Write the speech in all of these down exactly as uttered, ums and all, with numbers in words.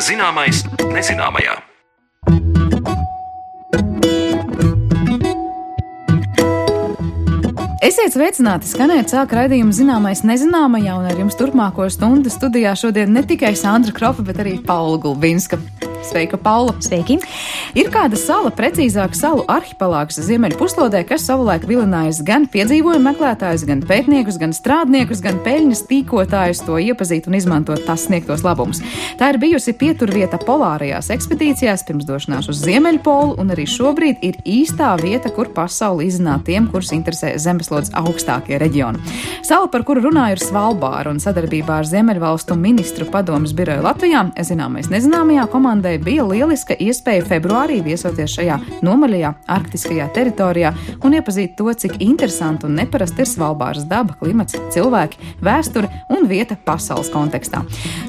Zināmais nezināmajā. Esiet sveicināti, skanēt sāk raidījumu Zināmais nezināmajā, un ar jums turpmāko stundu studijā šodien ne tikai Sandra Kropa, bet arī Paula Gulbinska. Sveika, Paula! Sveiki! Ir kāda sala, precīzāk salu arhipelāgs Ziemeļu puslodē, kas savulaik vilinājis gan piedzīvojumu meklētājus, gan pētniekus, gan strādniekus, gan peļņas tīkotājus to iepazīt un izmantot tās sniegtos labumus. Tā ir bijusi pieturvieta polārajās ekspedīcijās pirms došanās uz Ziemeļpolu, un arī šobrīd ir īstā vieta, kur pasauli izzināt tiem, kurus interesē zemeslodes augstākie reģioni. Sala, par kuru runāju, ir Svalbāra, un sadarbībā ar Ziemeļvalstu ministru padomes biroju Latvijā Zināmais nezināmajā komandai bija lieliska iespēja februārī viesoties šajā nomaļajā arktiskajā teritorijā un iepazīt to, cik interesanti un neparasti ir Svalbāras daba, klimats, cilvēki, vēsture un vieta pasaules kontekstā.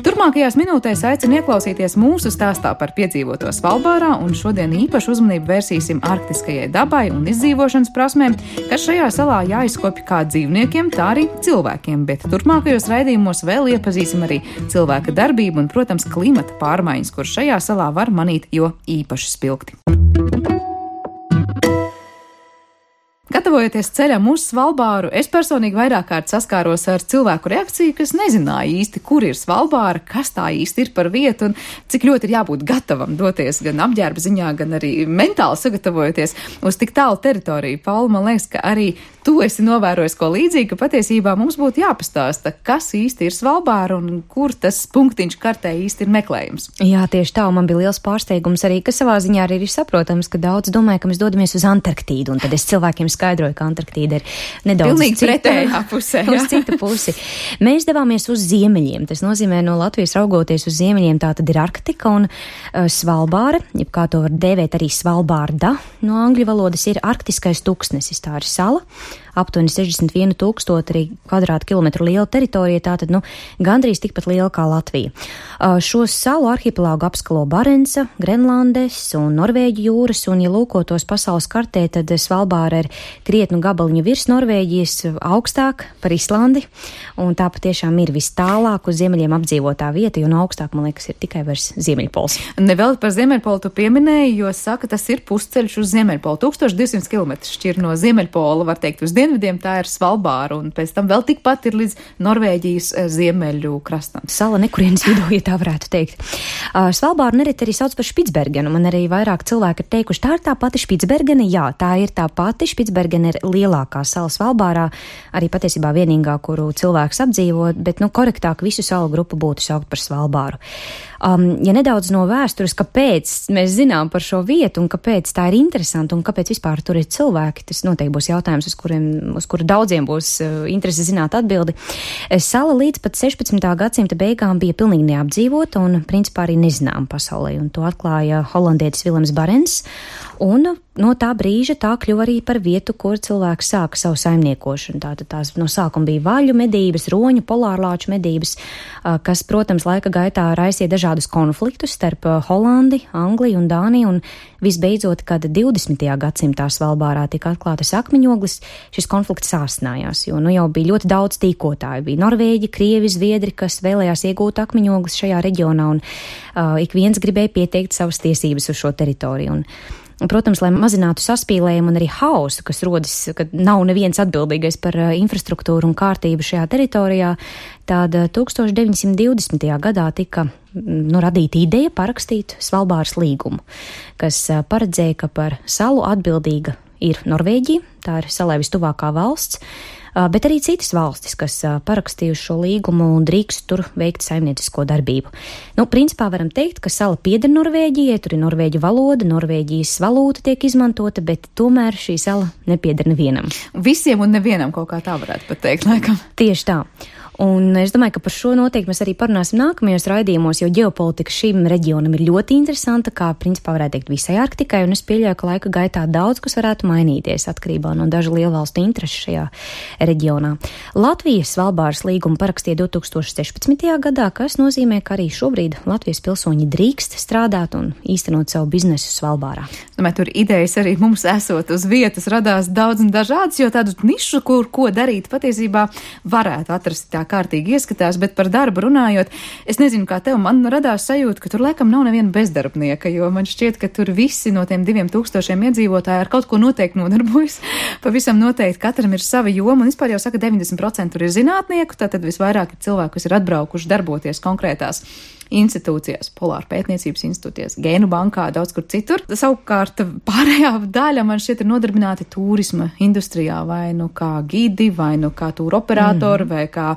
Turpmākajās minūtēs aicinu ieklausīties mūsu stāstā par piedzīvoto Svalbārā, un šodien īpašu uzmanību vērsīsim arktiskajai dabai un izdzīvošanas prasmēm, kas šajā salā jāizkopj kā dzīvniekiem, tā arī cilvēkiem, bet turpmākajos raidījumos vēl iepazīsim arī cilvēka darbību un, protams, klimata pārmaiņas, kur šajā salā var manīt jo īpaši spilgti. Gatavojoties ceļam uz Svalbāru, es personīgi vairāk kārt saskāros ar cilvēku reakciju, kas nezināja īsti, kur ir Svalbāra, kas tā īsti ir par vietu un cik ļoti ir jābūt gatavam doties gan apģērba ziņā, gan arī mentāli sagatavojoties uz tik tālu teritoriju. Paula, man liekas, ka arī tu esi novērojis ko līdzīgi, ka patiesībā mums būtu jāpastāsta, kas īsti ir Svalbāra un kur tas punktiņš kartē īsti ir meklējums. Jā, tieši tā, un man bija liels pārsteigums arī, ka savā ziņā arī ir saprotams, ka daudz domāja, ka mēs dodamies uz Antarktīdu, un tad es cilvēkiem skaidroju, ka Antarktīda ir nedaudz pilnīgi pretējā pusē, jā. Uz citu pusi. Mēs devāmies uz ziemeļiem. Tas nozīmē, no Latvijas raugoties uz ziemeļiem, tā tad ir Arktika un uh, Svalbāra, jeb kā to var dēvēt arī Svalbārda, no angļu valodas ir arktiskais tuksnesis, tā ir sala, aptuveni sešdesmit vienu tūkstoti kvadrātkilometru liela teritorija, tātad, nu, gandrīz tikpat liela kā Latvija. Uh, šo salu arhipelāgu apskalo Barenca, Grenlandes un Norvēģu jūras, un, ja lūkotos pasaules kartē, tad Svalbāra ir krietnu gabaliņu virs Norvēģijas, augstāk par Islandi, un tā patiešām ir vis tālāk uz ziemeļiem apdzīvotā vieta, jo no augstāk, man liekas, ir tikai vairs Ziemeļpols. Nevēl par Ziemeļpolu tu pieminēji, jo saka, tas ir pusceļš uz Ziemeļpolu. tūkstoš divsimt kilometri šķir no Ziemeļpola, var teikt, uz dienvidiem tā ir Svalbāra, un pēc tam vēl tikpat ir līdz Norvēģijas ziemeļu krastam. Sala nekurienes vidū, ja tā varētu teikt. Uh, Svalbāru nereti arī sauc par Špicbergenu. Man arī vairāk cilvēki ir teikuši, tā ir tā pati Špicbergena. Jā, tā ir tā pati. Špicbergena ir lielākā sala Svalbārā, arī patiesībā vienīgā, kuru cilvēks apdzīvo, bet, nu, korektāk visu salu grupu būtu saukt par Svalbāru. Um, ja nedaudz no vēstures, kāpēc mēs zinām par šo vietu un kāpēc tā ir interesanta un kāpēc vispār tur ir cilvēki, tas noteikti būs jautājums, uz kuriem, uz kuru daudziem būs uh, interesi zināt atbildi. Sala līdz pat sešpadsmitā gadsimta beigām bija pilnīgi neapdzīvota un principā arī nezinām pasaulē, un to atklāja holandietis Vilems Barens, un no tā brīža tā kļuva arī par vietu, kur cilvēks sāka savu saimniekošanu. Tātad tās no sākuma bija vaļu medības, roņu, polārlāču medības, kas, protams, laika gaitā raisīja dažādus konfliktus starp Holandi, Angliju un Dāniju, un visbeidzot, kad divdesmitajā gadsimtā Svalbārā tika atklātas akmeņogles, šis konflikts sāsnājās, jo nu jau bija ļoti daudz tīkotāju. Bija Norvēģi, Krievi, Zviedri, kas vēlējās iegūt akmeņogles šajā reģionā, un uh, ik viens gribēja pieteikt savas tiesības uz šo teritoriju. Un, Protams, lai mazinātu saspīlējumu un arī hausu, kas rodas, kad nav neviens atbildīgais par infrastruktūru un kārtību šajā teritorijā, tad tūkstoš deviņsimt divdesmitajā gadā tika nu, radīta ideja parakstīt Svalbāras līgumu, kas paredzēja, ka par salu atbildīga ir Norvēģija, tā ir salai vistuvākā valsts, bet arī citas valstis, kas parakstījuši šo līgumu un drīkst tur veikt saimniecisko darbību. Nu, principā varam teikt, ka sala pieder Norvēģijai, tur ir norvēģu valoda, Norvēģijas valūta tiek izmantota, bet tomēr šī sala nepieder nevienam. Visiem un nevienam kaut kā tā varētu pat teikt, laikam. Tieši tā. Un es domāju, ka par šo noteikti mēs arī parunāsim nākamajos raidījumos, jo ģeopolitika šim reģionam ir ļoti interesanta, kā principā varētu teikt visai Arktikai, un es pieļauju, ka laika gaitā daudz kas varētu mainīties atkarībā no dažu lielvalstu interešu šajā reģionā. Latvija Svalbāras līgumu parakstīja divtūkstoš sešpadsmitajā gadā, kas nozīmē, ka arī šobrīd Latvijas pilsoņi drīkst strādāt un īstenot savu biznesu Svalbārā. Domāju, tur idejas arī mums esot uz vietas radās daudz un dažādas, jo tādu nišu, kur ko darīt, patiesībā varētu atrast tā kārtīgi ieskatās, bet par darbu runājot, es nezinu, kā tev, man radās sajūta, ka tur laikam nav neviena bezdarbnieka, jo man šķiet, ka tur visi no tiem diviem tūkstošiem iedzīvotāji ar kaut ko noteikti nodarbojas. Pavisam noteikti katram ir sava joma, un vispār jau saka, deviņdesmit procenti tur ir zinātnieku, tātad visvairāk ir cilvēku, kas ir atbraukuši darboties konkrētās institūcijās, polāra pētniecības institūcijās, gēnu bankā, daudz kur citur. Savukārt pārējā daļa man šķiet ir nodarbināti turisma industrijā, vai nu kā gidi, vai nu kā tūra operatori, mm. vai kā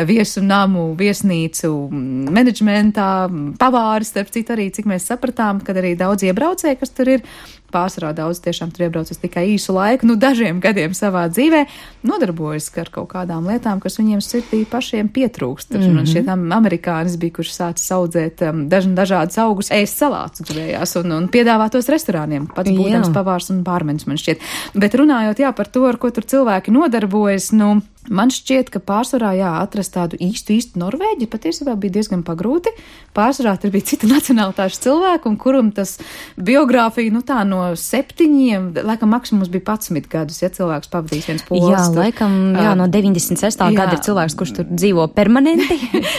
viesu namu, viesnīcu menedžmentā, pavāri, starp citu arī, cik mēs sapratām, kad arī daudz iebraucēji, kas tur ir, pārsvarā daudz tiešām tur iebraucas tikai īsu laiku, nu dažiem gadiem savā dzīvē, nodarbojas ar kaut kādām lietām, kas viņiem sirdī pašiem pietrūkst. Mm-hmm. Un šie tam amerikānis bija, kurš sācis audzēt um, daž, dažādas augus, ēst salātus gribējās un, un piedāvāt tos restorāniem. Pats būdams pavārs un pārmenis man šķiet. Bet runājot, jā, par to, ar ko tur cilvēki nodarbojas, nu, man šķiet, ka pārsvarā, jā, atrast tādu īstu, īstu Norvēģi patiesībā bija diezgan pagrūti. Pārsvarā tur bija cita nacionālitāšu cilvēku, un kuram tas biogrāfija, nu tā no septiņiem, laikam maksimums bija padsmit gadus, ja cilvēks pavadīs viens pols. Jā, tur, laikam, jā, no deviņdesmit sestā Jā. Gada ir cilvēks, kurš tur dzīvo permanenti.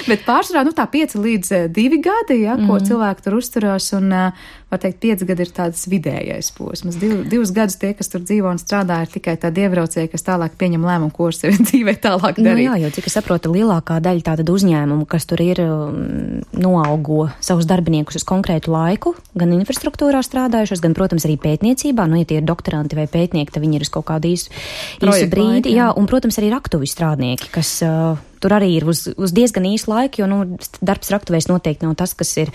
Bet pārsvarā, nu tā pieci līdz divi gadi, ja, ko mm. cilvēki tur uzturās, un, var teikt, pieci gadi ir tāds vidējais posms. Div, divus gadus tie, kas tur dzīvo un strādā, ir tikai tādi iebraucēji, kas tālāk pieņem lēmumu, ko ar sevi dzīvē tālāk darīt. Nu jā, jo, cik es saprotu, lielākā daļa tātad uzņēmumu, kas tur ir, noalgo savus darbiniekus uz konkrētu laiku, gan infrastruktūrā strādājušos, gan, protams, arī pētniecībā. Nu, ja tie ir doktoranti vai pētnieki, tad viņi ir uz kaut kādu īsu, īsu brīdi. Jā. jā, un, protams, arī raktuvi strādnieki, kas uh, tur arī ir uz, uz diezgan īsu laiku, jo, nu, darbs raktuvēs noteikti nav tas, kas ir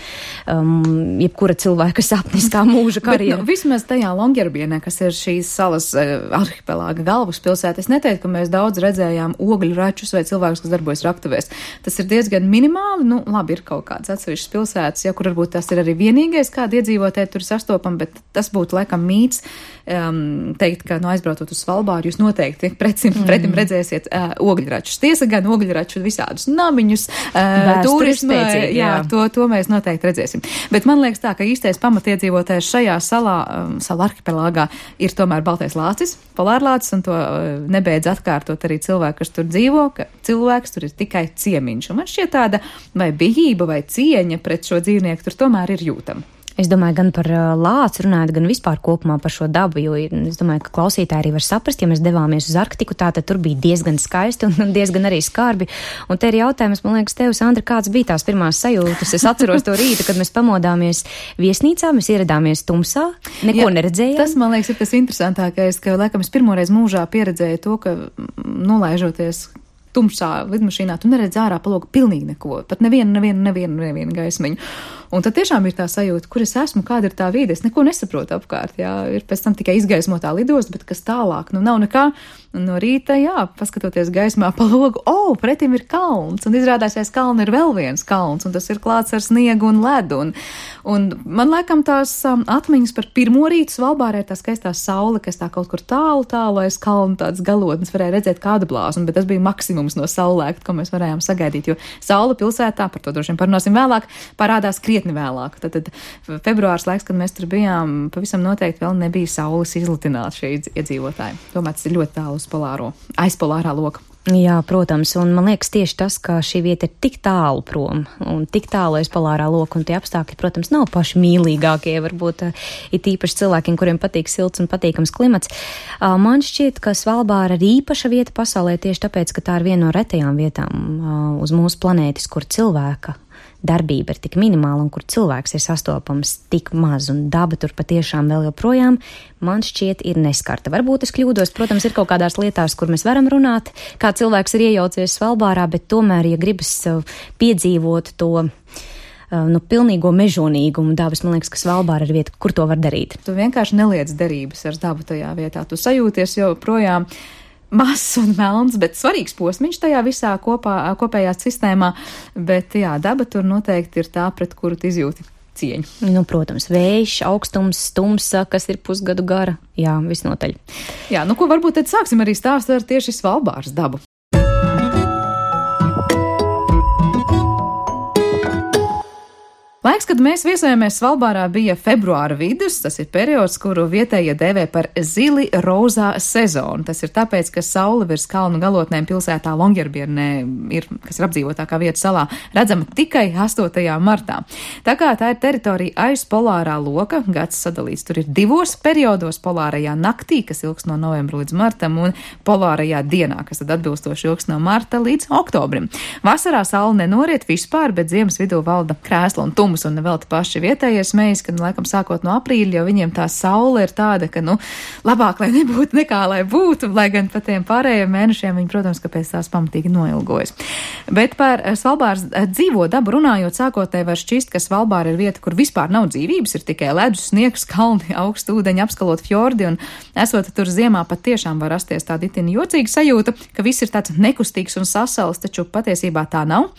um, jebkura cilvēka sapniskā mūža karjera. Bet, nu, vismaz tajā Longyearbyene, kas ir šīs salas uh, arhipelāga galvaspilsēta, es neteiktu, ka mēs daudz redzējām ogļu račus vai cilvēkus, kas darbojas raktuvēs. Tas ir diezgan minimāli, nu, labi, ir kaut kāds atsevišķs pilsētas, ja, kur varbūt tas ir arī vienīgais, kādi iedzīvotāji tur sastopam, bet tas būtu laikam mīts um, teikt, ka, nu, aizbrautot uz Svalbāru, jūs noteikti pretim, mm. pretim redzēsiet uh, ogļračus. Tiesa gan ogļraču visādus namiņus, uh, turismu, jā, jā. To, to mēs noteikti redzēsim. Bet man liekas tā, ka īstais pamatiedzīvotājs šajā salā, um, sala arhipelāgā, ir tomēr baltais lācis, polārlācis, un to uh, nebeidz atkārtot arī cilvēki, kas tur dzīvo, ka cilvēks tur ir tikai ciemiņš. Un man šķiet tāda vai bijība vai cieņa pret šo dzīvnieku tur tomēr ir jūtama. Es domāju, gan par lāci runājot, gan vispār kopumā par šo dabu, jo es domāju, ka klausītāji arī var saprast, ja mēs devāmies uz Arktiku, tā tad tur bija diezgan skaisti un diezgan arī skarbi. Un te ir jautājums, man liekas, tev, Sandra, kāds bija tās pirmās sajūtas? Es atceros to rītu, kad mēs pamodāmies viesnīcā, mēs ieradāmies tumsā, neko Jā, neredzējām. Tas, man liekas, ir tas interesantākais, ka, laikam, es pirmoreiz mūžā pieredzēju to, ka nolaižoties tumšā lidmašīnā, tu neredz ārā pa logu pilnīgi neko, pat nevienu, nevienu, nevienu, nevienu gaismiņu. Un tad tiešām ir tā sajūta, kur es esmu, kāda ir tā vide, es neko nesaprotu apkārt, jā, ir pēc tam tikai izgaismotā lidosta, bet kas tālāk, nu nav nekā, un no rīta, jā, paskatoties gaismā pa logu, o, oh, pretim ir kalns, un izrādās, aiz kalna ir vēl viens kalns, un tas ir klāts ar sniegu un ledu, un, un man laikam tās um, atmiņas par pirmo rītu Svalbārā ir tā skaistā saule, kas tā kaut kur tālu, tālu aiz kalna tāds galotnes, varēja redzēt kādu blāzmu, bet tas bija maksimums no saulēkta, ko mēs varējām sagaidīt, jo saule pilsētā, par to droši vien parunāsim vēlāk, parādās krietni vēlāk. Tad, tad februārs laiks, kad mēs tur bijām, pavisam noteikti vēl nebija saules izlutināta šie iedzīvotāji. Tomēr tas ir ļoti tālu uz polāro, aizpolārā loka. Jā, protams, un man liekas tieši tas, ka šī vieta ir tik tālu prom un tik tālu aiz polārā loka, un tie apstākļi, protams, nav paši mīlīgākie, varbūt ir īpaši cilvēkiem, kuriem patīk silts un patīkams klimats. Man šķiet, ka Svalbāra ir īpaša vieta pasaulē tieši tāpēc, ka tā ir viena no retajām vietām uz mūsu planētas, kur cilvēka darbība ir tik minimāla un kur cilvēks ir sastopams tik maz un daba tur patiešām vēl joprojām, man šķiet, ir neskarta. Varbūt es kļūdos, protams, ir kaut kādās lietās, kur mēs varam runāt, kā cilvēks ir iejaucies Svalbārā, bet tomēr, ja gribas piedzīvot to nu, pilnīgo mežonīgumu dabas, man liekas, ka Svalbāra ir vieta, kur to var darīt. Tu vienkārši neliec derības ar dabu tajā vietā. Tu sajūties joprojām mazs un melns, bet svarīgs posmiņš tajā visā kopā, kopējā sistēmā, bet jā, daba tur noteikti ir tā, pret kuru tu izjūti cieņu. Nu, protams, vējš, augstums, tumsa, kas ir pusgadu gara, jā, visnotaļ. Jā, nu ko varbūt tad sāksim arī stāst ar tieši Svalbāras dabu. Laiks, kad mēs viesojāmies Svalbārā, bija februāra vidus. Tas ir periods, kuru vietējie dēvē par zili rozā sezonu. Tas ir tāpēc, ka saule virs kalnu galotnēm pilsētā Longyearbyernē, ir, kas ir apdzīvotākā vieta salā, redzama tikai astotajā martā. Tā kā tā ir teritorija aiz polārā loka, gads sadalīts tur ir divos periodos, polārajā naktī, kas ilgs no novembra līdz martam, un polārajā dienā, kas tad atbilstoši ilgs no marta līdz oktobrim. Vasarā saule nenoriet vispār, bet ziemas vidū valda krēsla un tums. Un vēl te paši vietējie smejas, ka, nu, laikam, sākot no aprīļa, jo viņiem tā saule ir tāda, ka, nu, labāk, lai nebūtu nekā, lai būtu, lai gan pa tiem pārējiem mēnešiem viņi, protams, ka pēc tās pamatīgi noilgojas. Bet par Svalbāras dzīvo dabu runājot, sākotnēji var šķist, ka Svalbāra ir vieta, kur vispār nav dzīvības, ir tikai ledus, sniegs, kalni, augstu ūdeņi, apskalot fjordi, un esot tur ziemā pat tiešām var rasties tāda itin jocīga sajūta, ka viss ir tāds nekustīgs un sasals, taču patiesībā tā nav.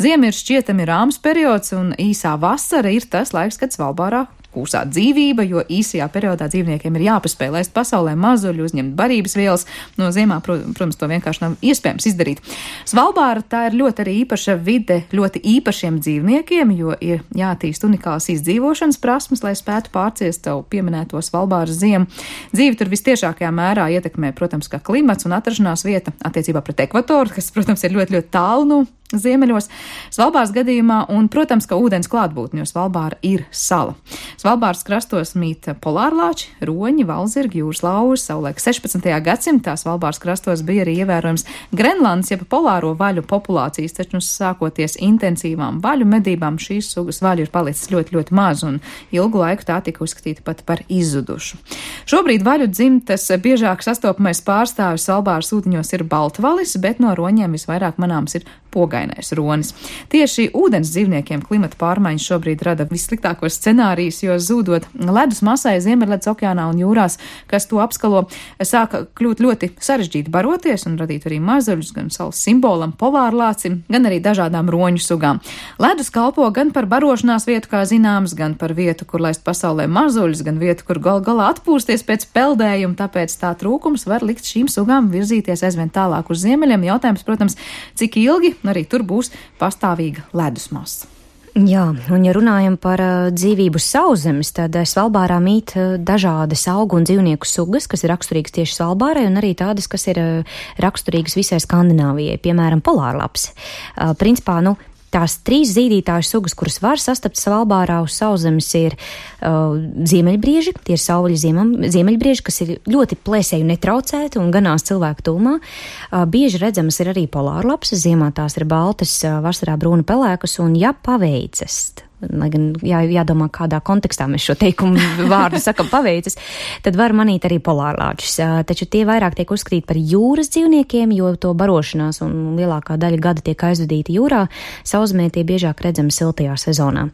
Ziema ir šķietami rāms periods, un īsā vasara ir tas laiks, kad Svalbārā kūsā dzīvība, jo īsajā periodā dzīvniekiem ir jāpaspēj laist pasaulē mazuļu, uzņemt barības vielas. No ziemā, protams, to vienkārši nav iespējams izdarīt. Svalbāra tā ir ļoti arī īpaša vide ļoti īpašiem dzīvniekiem, jo ir jātīst unikāls izdzīvošanas prasmes, lai spētu pārciest tavu pieminēto Svalbāras ziemu. Dzīvi tur vistiešākajā mērā ietekmē, protams, kā klimats un atrašanās vieta attiecībā pret ekvatoru, kas, protams, ir ļoti, ļoti tālu no ziemeļos Svalbāras gadījumā, un, protams, ka ūdens klātbūtne, jo Svalbāra ir sala. Svalbāras krastos mīt polārlāči, roņi, valzirgi, jūras lauži. Savulaik sešpadsmitajā gadsimtā Svalbāras krastos bija arī ievērojams Grenlandes, jeb polāro vaļu populācijas, taču sākoties intensīvām vaļu medībām šīs sugas vaļu ir palicis ļoti, ļoti maz, un ilgu laiku tā tika uzskatīta pat par izzudušu. Šobrīd vaļu dzimtas biežāk sastopamais pārstāvis Svalbāras ūdeņos ir baltvalis, bet no roņiem visvairāk manāms ir pogainais ronis. Tieši ūdens dzīvniekiem klimata pārmaiņas šobrīd rada vissliktākos scenārijus, jo zūdot ledus masai Ziemeļledus okeānā un jūrās, kas to apskalo, sāka kļūt ļoti sarežģīti baroties un radīt arī mazuļus gan salas simbolam, polārlācim, gan arī dažādām roņu sugām. Ledus kalpo gan par barošanās vietu, kā zināms, gan par vietu, kur laist pasaulē mazuļus, gan vietu, kur gal galā atpūsties pēc peldējuma, tāpēc tā trūkums var likt šīm sugām virzīties aizvien tālāk uz ziemeļiem. Jautājums, protams, cik ilgi arī tur būs pastāvīga ledus masa. Jā, un ja runājam par uh, dzīvību sauszemes, tad uh, Svalbārā mīt uh, dažādas augu un dzīvnieku sugas, kas ir raksturīgas tieši Svalbārai, un arī tādas, kas ir uh, raksturīgas visai Skandināvijai, piemēram, polārlaps. Uh, principā, nu, tās trīs zīdītāju sugas, kuras var sastapt Svalbārā uz sauszemes, ir uh, ziemeļbrieži, tie ir sauvaļi ziemam, ziemeļbrieži, kas ir ļoti plēsēju netraucēti un ganās cilvēku tūmā. Uh, bieži redzamas ir arī polārlapsas, ziemā tās ir baltas, uh, vasarā brūna pelēkas, un ja paveicas, lai gan jā, jādomā, kādā kontekstā mēs šo teikumu vārdu sakam paveicis, tad var manīt arī polārlāčus. Taču tie vairāk tiek uzskatīti par jūras dzīvniekiem, jo to barošanās un lielākā daļa gada tiek aizvadīta jūrā. Sausmē tie biežāk redzami siltajā sezonā.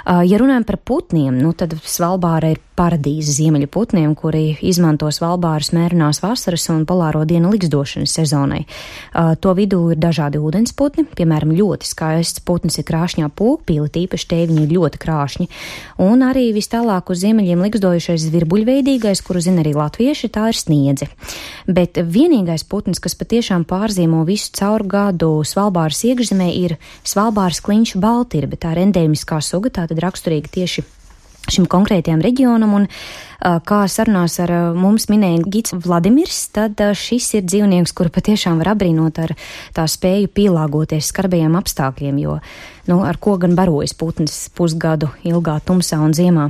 Ja runājam par putniem, nu tad Svalbāra ir paradīze ziemeļu putniem, kuri izmanto Svalbāras mērenās vasaras un polāro dienu likstošanas sezonai. To vidū ir dažādi ūdensputni, piemēram, ļoti skaists putnis ir krāšņā pūkpīle, tīpaši tie viņi ir ļoti krāšņi. Un arī vis tālāk uz ziemeļiem likstojušais zvirbuļveidīgais, kuru zina arī latvieši, tā ir sniedze. Bet vienīgais putnis, kas patiešām pārzīmo visu caur gadu Svalbāras iekšzemē, ir Svalbāras klinšu baltirbe. Tā ir endēmiskā suga, tā tad raksturīga tieši šim konkrētajam reģionam, un kā sarunās ar mums minēja gids Vladimirs, tad šis ir dzīvnieks, kuru patiešām var apbrīnot ar tā spēju pielāgoties skarbajiem apstākļiem, jo, nu, ar ko gan barojas putnis pusgadu ilgā tumsā un ziemā.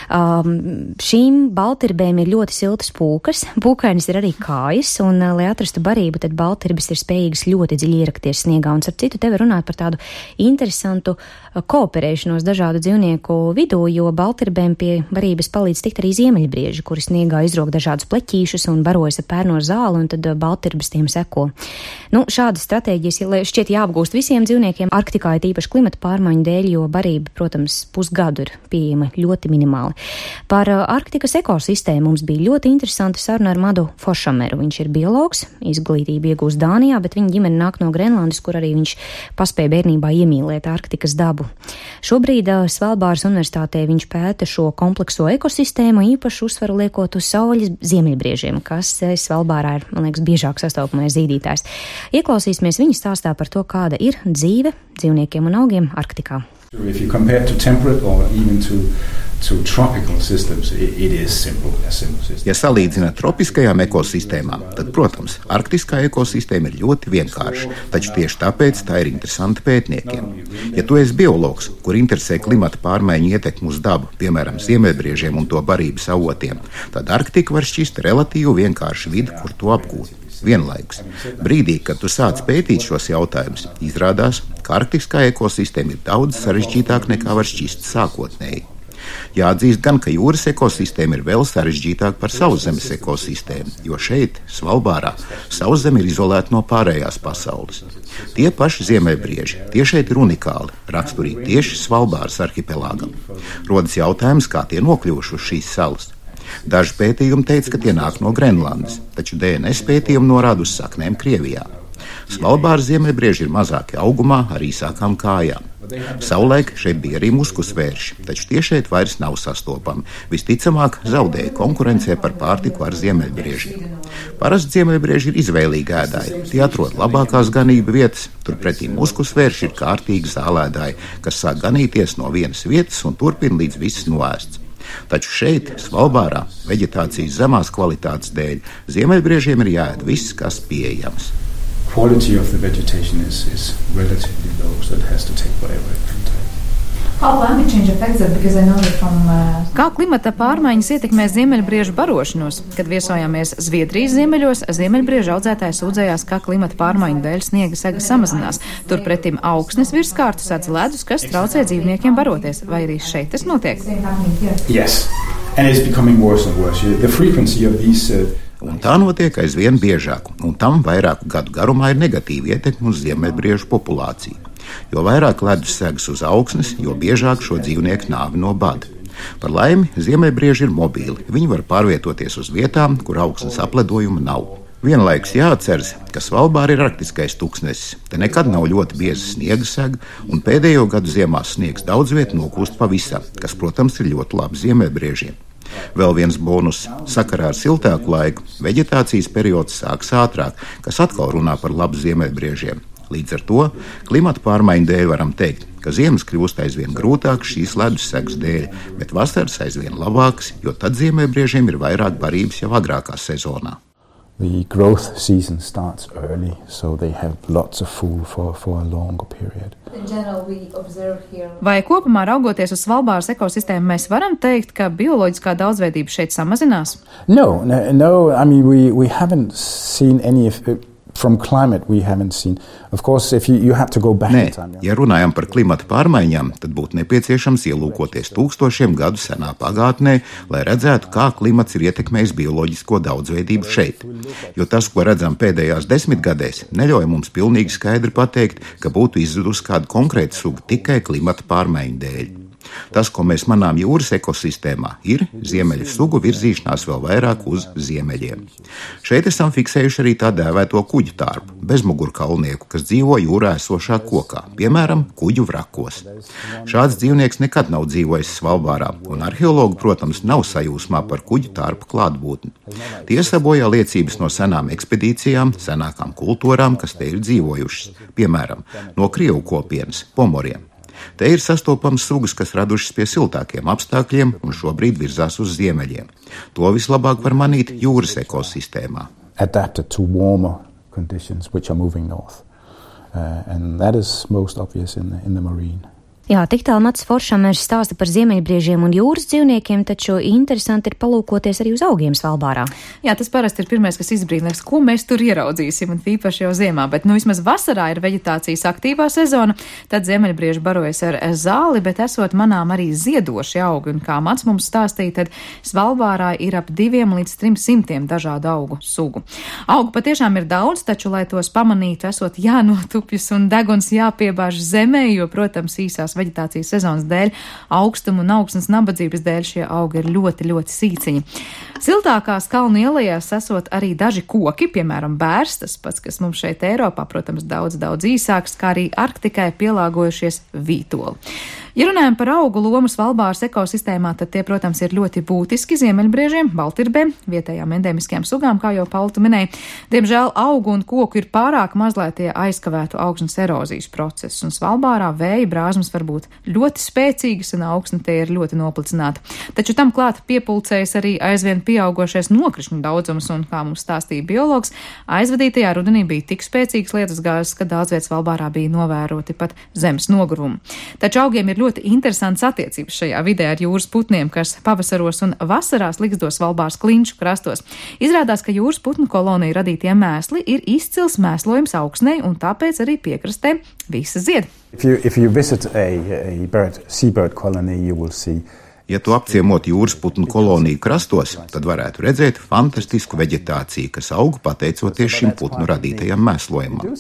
Um, šīm baltirbēm ir ļoti siltas pūkas, pūkainis ir arī kājas, un, lai atrastu barību, tad baltirbes ir spējīgas ļoti dziļi ierakties sniegā, un, starp citu, tevi runāt par tādu interesantu kooperēšanos dažādu dzīvnieku vidū, jo baltirbēm pie barības palīdz tikt arī ziemeļbrieži, kuri sniegā izrok dažādus pleķīšus un barojas ar pērno zāli, un tad baltirbes tiem seko. Nu, šādas stratēģijas šķiet jāapgūst visiem dzīvniekiem. Arktikā ir īpaši klimata pārmaiņu dēļ, jo barība, protams, pusgadu ir pieejama ļoti minimāli. Par Arktikas ekosistēmu mums bija ļoti interesanta saruna ar Madu Foršameru. Viņš ir biologs, izglītību iegūst Dānijā, bet viņa ģimene nāk no Grenlandes, kur arī viņš paspēja bērnībā iemīlēt Arktikas dabu. Šobrīd Svalbāras universitātē viņš pēta šo komplekso ekosistēmu, īpaši uzsvaru liekot uz saules ziemeļbriežiem, kas Svalbārā ir, man liekas, biežāk sastopamais zīdītājs. Ieklausīsimies viņa stāstā par to, kāda ir dzīve dzīvniekiem un augiem Arktikā. If you compare to temperate or even to To tropical systems, it is simple, a simple system. Ja salīdzinām tropiskajām ekosistēmām, tad, protams, arktiskā ekosistēma ir ļoti vienkārša, taču tieši tāpēc tā ir interesanta pētniekiem. Ja tu esi biologs, kur interesē klimata pārmaiņu ietekmi uz dabu, piemēram, ziemeļbriežiem un to barības avotiem, tad Arktika var šķist relatīvi vienkārša vide, kur to apgūt. Vienlaikus, brīdī, kad tu sāc pētīt šos jautājumus, izrādās, ka arktiskā ekosistēma ir daudz sarežģītāka nekā var šķist sākotnēji. Jāatzīst gan, ka jūras ekosistēma ir vēl sarežģītāka par sauszemes ekosistēmu, jo šeit, Svalbārā, sauszeme ir izolēta no pārējās pasaules. Tie paši ziemeļbrieži, tie šeit ir unikāli, raksturīgi tieši Svalbāras arhipelāgam. Rodas jautājums, kā tie nokļuvuši uz šīs salas. Daži pētījumi teica, ka tie nāk no Grenlandes, taču D N S pētījumi norāda uz saknēm Krievijā. Svalbāras ziemeļbrieži ir mazāki augumā ar īsākām kājām. Savulaik šeit bija arī muskušvērši, taču tie šeit vairs nav sastopami. Visticamāk, zaudēja konkurencē par pārtiku ar ziemeļbriežiem. Parasti ziemeļbrieži ir izvēlīgi ēdāji. Tie atrod labākās ganību vietas, turpretī muskušvērši ir kārtīgi zālēdāji, kas sāk ganīties no vienas vietas un turpina līdz viss noēsts. Taču šeit, Svalbārā, veģetācijas zemās kvalitātes dēļ, ziemeļbriežiem ir jāēd viss, kas pieejams. Quality of the vegetation is, is relatively low, so it has to take whatever it can take. How climate change affects it? Because I know that from uh... Kā klimata pārmaiņas ietekmē ziemeļbriežu barošanos? Kad viesojāmies Zviedrijas ziemeļos, ziemeļbriežu audzētāji sūdzējās, ka klimata pārmaiņu dēļ sniega sega samazinās. Turpretim augsnes virskārtu sēdz ledus, kas traucē dzīvniekiem baroties. Vai arī šeit tas notiek? Yes, and it's becoming worse and worse. The frequency of these uh, Un tā notiek aizvien biežāk, un tam vairāku gadu garumā ir negatīva ietekme uz ziemeļbriežu populāciju. Jo vairāk ledus segas uz augsnes, jo biežāk šo dzīvnieku nāvi no bada. Par laimi, ziemeļbrieži ir mobīli. Viņi var pārvietoties uz vietām, kur augsnes apledojuma nav. Vienlaikus jāatceras, ka Svalbāra ir arktiskais tuksnesis. Te nekad nav ļoti bieza sniega sega, un pēdējo gadu ziemās sniegs daudz viet nokūst pavisam, kas, protams, ir ļoti labi ziemeļbriežiem. Vēl viens bonus - sakarā ar siltāku laiku veģetācijas periods sāks ātrāk, kas atkal runā par labu ziemeļbriežiem. Līdz ar to klimata pārmaiņu dēļ varam teikt, ka ziemas kļūst aizvien grūtākas šīs ledus segas dēļ, bet vasaras aizvien labākas, jo tad ziemeļbriežiem ir vairāk barības jau agrākā sezonā. The growth season starts early, so they have lots of food for, for a longer period. Vai kopumā raugoties uz Svalbāras ekosistēmu, mēs varam teikt, ka bioloģiskā daudzveidība šeit samazinās? No, no, no I mean, we, we haven't seen any of it. From climate we haven't seen. Of course, if you, you have to go back Nē, in time. Ja runājam par klimata pārmaiņām, tad būtu nepieciešams ielūkoties tūkstošiem gadu senā pagātnē, lai redzētu, kā klimats ir ietekmējis bioloģisko daudzveidību šeit. Jo tas, ko redzam pēdējās desmitgadēs, neļauj mums pilnīgi skaidri pateikt, ka būtu izzudusi kāda konkrēta suga tikai klimata pārmaiņu dēļ. Tas, ko mēs manām jūras ekosistēmā, ir ziemeļu sugu virzīšanās vēl vairāk uz ziemeļiem. Šeit esam fiksējuši arī tā dēvēto kuģu tārpu, bezmugurkaulnieku, kas dzīvo jūrā esošā kokā, piemēram, kuģu vrakos. Šāds dzīvnieks nekad nav dzīvojis Svalbārā, un arheologi, protams, nav sajūsmā par kuģu tārpu klātbūtni. Tie sabojā liecības no senām ekspedīcijām, senākām kultūrām, kas te ir dzīvojušas, piemēram, no Krievu kopienas, pomoriem. Te ir sastopams sugas, kas radušas pie siltākiem apstākļiem un šobrīd virzās uz ziemeļiem. To vislabāk var manīt jūras ekosistēmā. Adapted to warmer conditions which are moving north. Uh, and that is most obvious in the, in the marine. Jā, tik tālu Mats Foršamers stāsta par ziemeļbriežiem un jūras dzīvniekiem, taču interesanti ir palūkoties arī uz augiem Svalbārā. Jā, tas parasti ir pirmais, kas izbrīnās, ko mēs tur ieraudzīsim, un tīpaši jau ziemā, bet nu vismaz vasarā ir veģetācijas aktīvā sezona, tad ziemeļbrieži barojas ar zāli, bet esot manām arī ziedoši augi, un kā Mats mums stāstīja, tad Svalbārā ir ap diviem līdz trim simtiem dažādu augu sugu. Augu patiešām ir daudz, taču, lai tos pamanītu, esot jānotupjas un deguns jāpiebāž zemē, jo, protams, īsās veģetācijas sezonas dēļ, augstuma un augsnes nabadzības dēļ šie augi ir ļoti, ļoti sīciņi. Siltākās kalnu ielajās esot arī daži koki, piemēram, bērs, tas pats, kas mums šeit Eiropā, protams, daudz, daudz īsāks, kā arī Arktikai pielāgojušies vītoli. Ja runājam par augu lomu Svalbāras ekosistēmā, tad tie, protams, ir ļoti būtiski ziemeļbriežiem, baltirbēm, vietējām endēmiskajām sugām, kā jau Paula minēja. Diemžēl augu un koku ir pārāk maz, lai tie aizkavētu augsnes erozijas procesus, un Svalbārā vēja brāzmas var būt ļoti spēcīgas un augsne tie ir ļoti noplicināta. Taču tam klāt piepulcējas arī aizvien pieaugošais nokrišņu daudzums, un, kā mums stāstīja biologs, aizvadītajā rudenī bija tik spēcīgas lietus gāzes, ka daudz viet Svalbārā bija novēroti pat zemes nogurumi. Taču augiem ir ļoti interesants attiecības šajā vidē ar jūras putniem, kas pavasaros un vasarās liksto Svalbāras klinšu krastos. Izrādās, ka jūras putnu koloniju radītie mēsli ir izcils mēslojums augsnei, un tāpēc arī piekrastē visa zied. If you, if you visit a, a bird, seabird colony, you will see Ja tu apciemot jūras putnu koloniju krastos, tad varētu redzēt fantastisku veģetāciju, kas aug pateicoties šim putnu radītajam mēslojumam.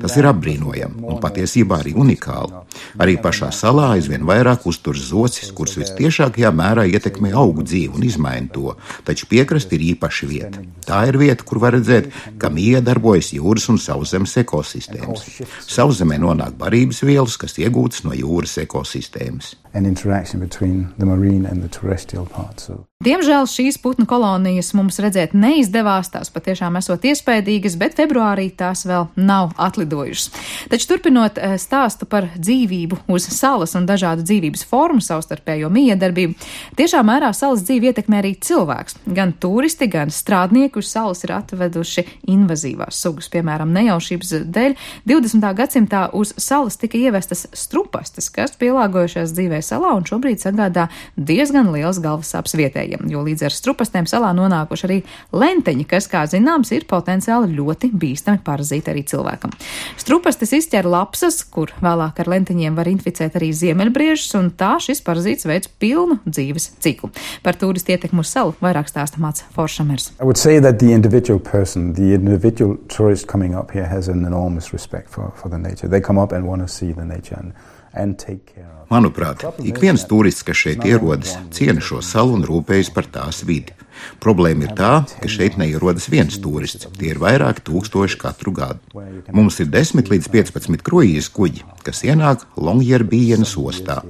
Tas ir apbrīnojami un patiesībā arī unikāli. Arī pašā salā aizvien vairāk uzturas zocis, kuras vistiešākajā mērā ietekmē augu dzīvi un izmaina to, taču piekrasti ir īpaša vieta. Tā ir vieta, kur var redzēt, kā iedarbojas jūras un sauszemes ekosistēmas. Sauszemē nonāk barības vielas, kas iegūtas no jūras ekosistēmas. an interaction between the marine and the terrestrial parts. So. Diemžēl šīs putnu kolonijas mums redzēt neizdevās, tās patiešām esot iespaidīgas, bet februārī tās vēl nav atlidojušas. Taču turpinot stāstu par dzīvību uz salas un dažādu dzīvības formu savstarpējo miedarbību, tiešām mērā salas dzīvi ietekmē arī cilvēks. Gan turisti, gan strādnieki uz salas ir atveduši invazīvās sugas, piemēram, nejaušības dēļ. divdesmitā gadsimtā uz salas tika ievestas strupastes, kas pielāgojušās dzīvē salā un šobrīd sagādā diezgan liels galvasāpes vietējiem, jo līdz ar strupastēm salā nonākuši arī lenteņi, kas, kā zināms, ir potenciāli ļoti bīstami parazīti arī cilvēkam. Strupastes izķer lapsas, kur vēlāk ar lenteņiem var inficēt arī ziemeļbriežus, un tā šis parazīts veids pilnu dzīves ciklu. Par turistu ietekmu uz salu vairāk stāsta Mats Foršamers. I would say that the individual person, the individual tourist coming up here has an enormous respect for, for the nature. They come up and want to see the nature and, and take care of. Manuprāt, ik viens turists, kas šeit ierodas, ciena šo salu un rūpējas par tās vidi. Problēma ir tā, ka šeit neierodas viens turists, tie ir vairāki tūkstoši katru gadu. Mums ir desmit līdz piecpadsmit kruīzes kuģi, kas ienāk Longyearbyenas ostā.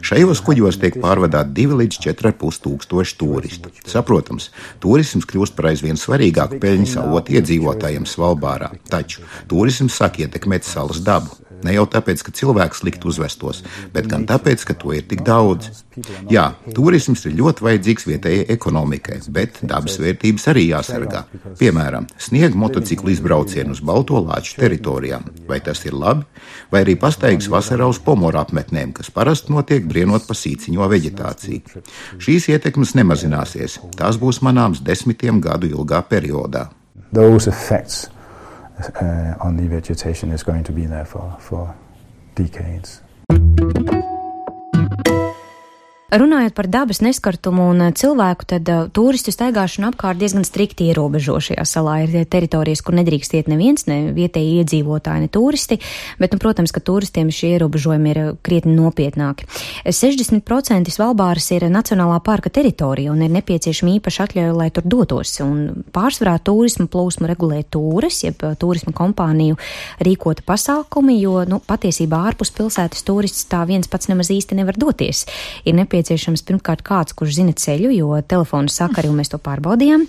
Šajos kuģos tiek pārvadāti divi līdz četri ar pus tūkstoši turistu. Saprotams, turisms kļūst par aizvien svarīgāku peļņas avotu iedzīvotājiem Svalbārā, taču turisms sāk ietekmēt salas dabu. Ne jau tāpēc, ka cilvēks slikti uzvestos, bet gan tāpēc, ka to ir tik daudz. Jā, turisms ir ļoti vajadzīgs vietējai ekonomikai, bet dabas vērtības arī jāsargā. Piemēram, sniega motociklu izbraucienu uz Balto Lāču teritorijām. Vai tas ir labi? Vai arī pastaigas vasarā uz pomoru apmetnēm, kas parasti notiek brienot pa sīciņo veģetāciju. Šīs ietekmes nemazināsies. Tās būs manāms desmitiem gadu ilgā periodā. Those effects Uh, on the vegetation is going to be there for, for decades. Runājot par dabas neskartumu un cilvēku, tad uh, turistu staigāšana apkārt diezgan strikti ierobežo šajā salā. Ir teritorijas, kur nedrīkst iet neviens, ne vietēji iedzīvotāji, ne turisti, bet, nu, protams, ka turistiem šie ierobežojumi ir krietni nopietnāki. sešdesmit procenti Svalbāras ir nacionālā parka teritorija un ir nepieciešama īpaša atļauja, lai tur dotos. Un pārsvarā turismu plūsmu regulē tūres, jeb turismu kompāniju rīkota pasākumi, jo, nu, patiesībā ārpus pilsētas turists tā viens pats nemaz īsti nevar doties. Ir nepieciešams pirmkārt kāds, kurš zina ceļu, jo telefonu sakaru mēs to pārbaudījām,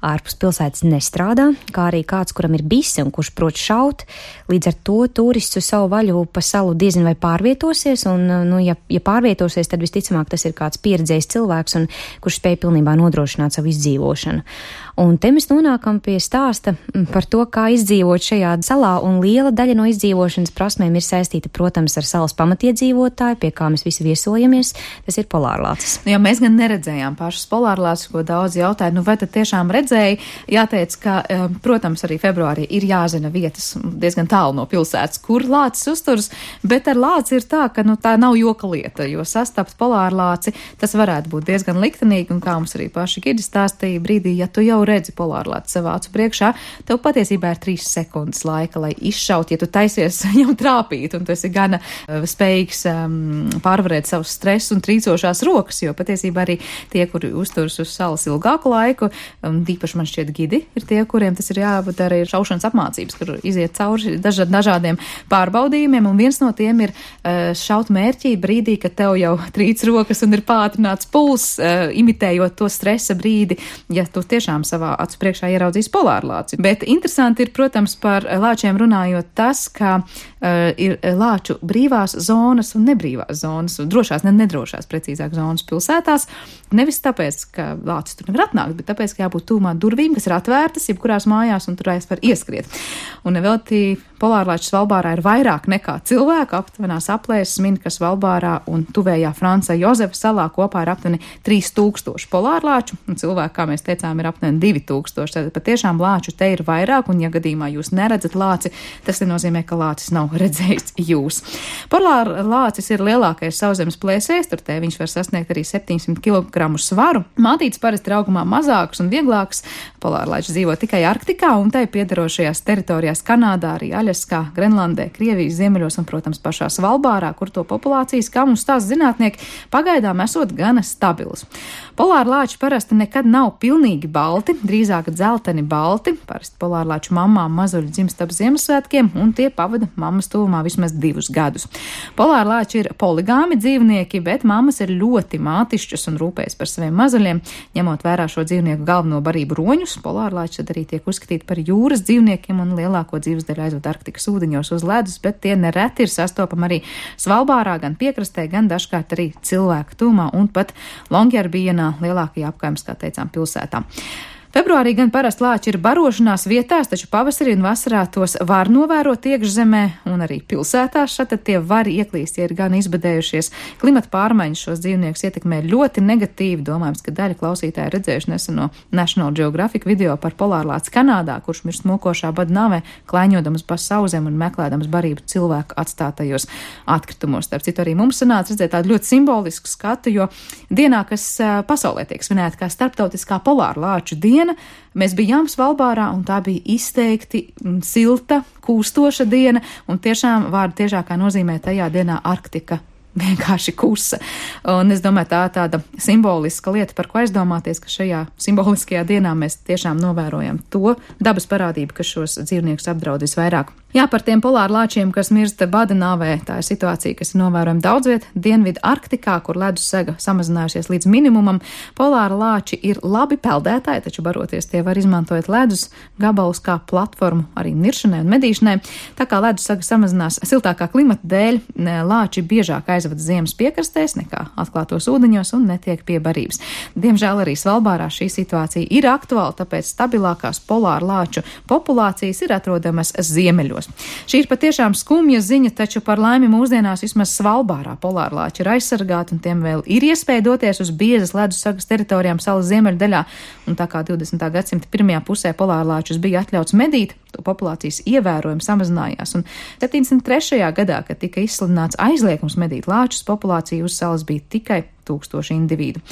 ārpus pilsētas nestrādā, kā arī kāds, kuram ir bise un kurš prot šaut. Līdz ar to turists uz savu vaļu pa salu diezin vai pārvietosies, un, nu, ja, ja pārvietosies, tad visticamāk tas ir kāds pieredzējis cilvēks, un kurš spēj pilnībā nodrošināt savu izdzīvošanu. Un te mēs nonākam pie stāsta par to, kā izdzīvot šajā salā, un liela daļa no izdzīvošanas prasmēm ir saistīta, protams, ar salas pamatiedzīvotāju, pie kā mēs visi viesojamies. Tas ir polārlācis. Jā, mēs gan neredzējām pašas polārlācis, ko daudz jautāja, nu vai tad tiešām redzēja? Jāteic, ka, protams, arī februārī ir jāzina vietas diezgan tālu no pilsētas, kur lācis uzturas, bet ar lāci ir tā, ka, nu, tā nav joka lieta, jo sastapt polārlāci, tas varētu būt diezgan liktenīgi, un kā mums arī paši gidi stāstīja brīdī, ja tu jau redzi polārlāci savā acu priekšā, tev patiesībā ir trīs sekundes laika, lai izšaut, ja tu taisies jau trāpīt, un tu esi gana uh, spējīgs um, pārvarēt savu stresu un trīcošās drošās rokas, jo patiesībā arī tie, kuri uzturas uz salas ilgāku laiku, um, īpaši man šķiet gidi, ir tie, kuriem tas ir jāpadara ir šaušanas apmācības, kur iziet cauri daža, dažādiem pārbaudījumiem, un viens no tiem ir uh, šaut mērķī brīdī, kad tev jau trīc rokas un ir pātrināts puls, uh, imitējot to stresa brīdi, ja tu tiešām savā acu priekšā ieraudzīs polārlāci. Bet interesanti ir, protams, par lāčiem runājot tas, ka uh, ir lāču brīvās zonas un nebrīvās zonas, un drošās, ne nedrošās, precīzāk, zonas pilsētās. Nevis tāpēc, ka lācis tur nevar atnākt, bet tāpēc, ka jābūt tūmā durvīm, kas ir atvērtas, jebkurās mājās, un tur aiz var ieskriet. Un nevelti polārlāči Svalbārā ir vairāk nekā cilvēku, aptuvenās aplēses min, ka Svalbārā un tuvējā Franca Jozefa salā kopā ir aptuveni trīs tūkstoši polārlāču, un cilvēku, kā mēs teicām, ir aptuveni divi tūkstoši. Tad patiešām lāču te ir vairāk, un ja gadījumā jūs neredzat lāci, tas nenozīmē, ka lācis nav redzējis jūs. Polārlācis ir lielākais sauszemes plēsējs, tur te viņš var sasniegt arī septiņsimt kilogramu svaru. Mātītes parasti ir augumā mazāks un vieglāks. Polārlāči dzīvo tikai Arktikā un tai piedarošajās teritorijās Kanādā, arī Aļaskā, Grenlandē, Krievijas ziemeļos un, protams, pašā Svalbārā, kur to populācijas, kā mums stāsta zinātnieki, pagaidām esot gana stabilas. Polārlāči parasti nekad nav pilnīgi balti, drīzāk dzelteni balti. Parasti polārlāču mammām mazuļi dzimst ap Ziemassvētkiem, un tie pavada mammas tuvumā vismaz divus gadus. Polārlāči ir poligāmi dzīvnieki, bet mammas ir ļoti mātišķas un rūpējas par saviem mazuļiem. Ņemot vērā šo dzīvnieku galveno barību roņus, polārlāči tad arī tiek uzskatīti par jūras dzīvniekiem un lielāko dzīves daļu aizved Arktikas ūdeņos uz ledus, bet tie nereti ir sastopami arī Svalbārā, gan piekrastē, gan dažkārt arī cilvēku tūmā un pat Longyearbyena lielākajā apkaimes, kā teicām, pilsētā. Februārī gan parasti lāči ir barošanās vietās, taču pavasarī un vasarā tos var novērot iekšzemē un arī pilsētās. Šad tie var ieklīst, ja ir gan izbadējušies. Klimata pārmaiņas šos dzīvniekus ietekmē ļoti negatīvi. Domājams, ka daļa klausītāji redzējuši neseno National Geographic video par polārlāci Kanādā, kurš mirst mokošā bada nāvē, klaiņodams pa sauzem un meklēdams barību cilvēku atstātajos atkritumos. Starp citu, arī mums sanāca redzēt tādu ļoti simbolisku skatu, jo dienā, kas pasaulē tiek svinēta kā starptautiskā polārlāču diena, mēs bijām Svalbārā, un tā bija izteikti silta, kūstoša diena, un tiešām vārda tiešākā nozīmē tajā dienā Arktika vienkārši kusa. Un es domāju, tā tāda simboliska lieta, par ko aizdomāties, ka šajā simboliskajā dienā mēs tiešām novērojam to dabas parādību, kas šos dzīvniekus apdraud visvairāk. Jā, par tiem polārlāčiem, kas mirst bada nāvē, tā ir situācija, kas ir novērojama daudz viet. Dienvidu Arktikā, kur ledus sega samazinājusies līdz minimumam, polārlāči ir labi peldētāji, taču baroties tie var izmantojot ledus gabalus kā platformu arī niršanai un medīšanai. Tā kā ledus sega samazinās siltākā klimata dēļ, lāči biežāk aizvada ziemas piekrastēs nekā atklātos ūdeņos un netiek pie barības. Diemžēl arī Svalbārā šī situācija ir aktuāla, tāpēc stabilākās polārlāču populācijas ir atrodamas ziemeļos. Šī ir patiešām skumja ziņa, taču par laimi mūsdienās vismaz Svalbārā polārlāči ir aizsargāti un tiem vēl ir iespēja doties uz biezas ledus sagas teritorijām salas ziemeļdaļā, un tā kā divdesmitā gadsimta pirmajā pusē polārlāčus bija atļauts medīt, to populācijas ievērojami samazinājās, un septiņdesmit trešajā gadā, kad tika izsludināts aizliegums medīt lāčus, populācija uz salas bija tikai tūkstoši individu.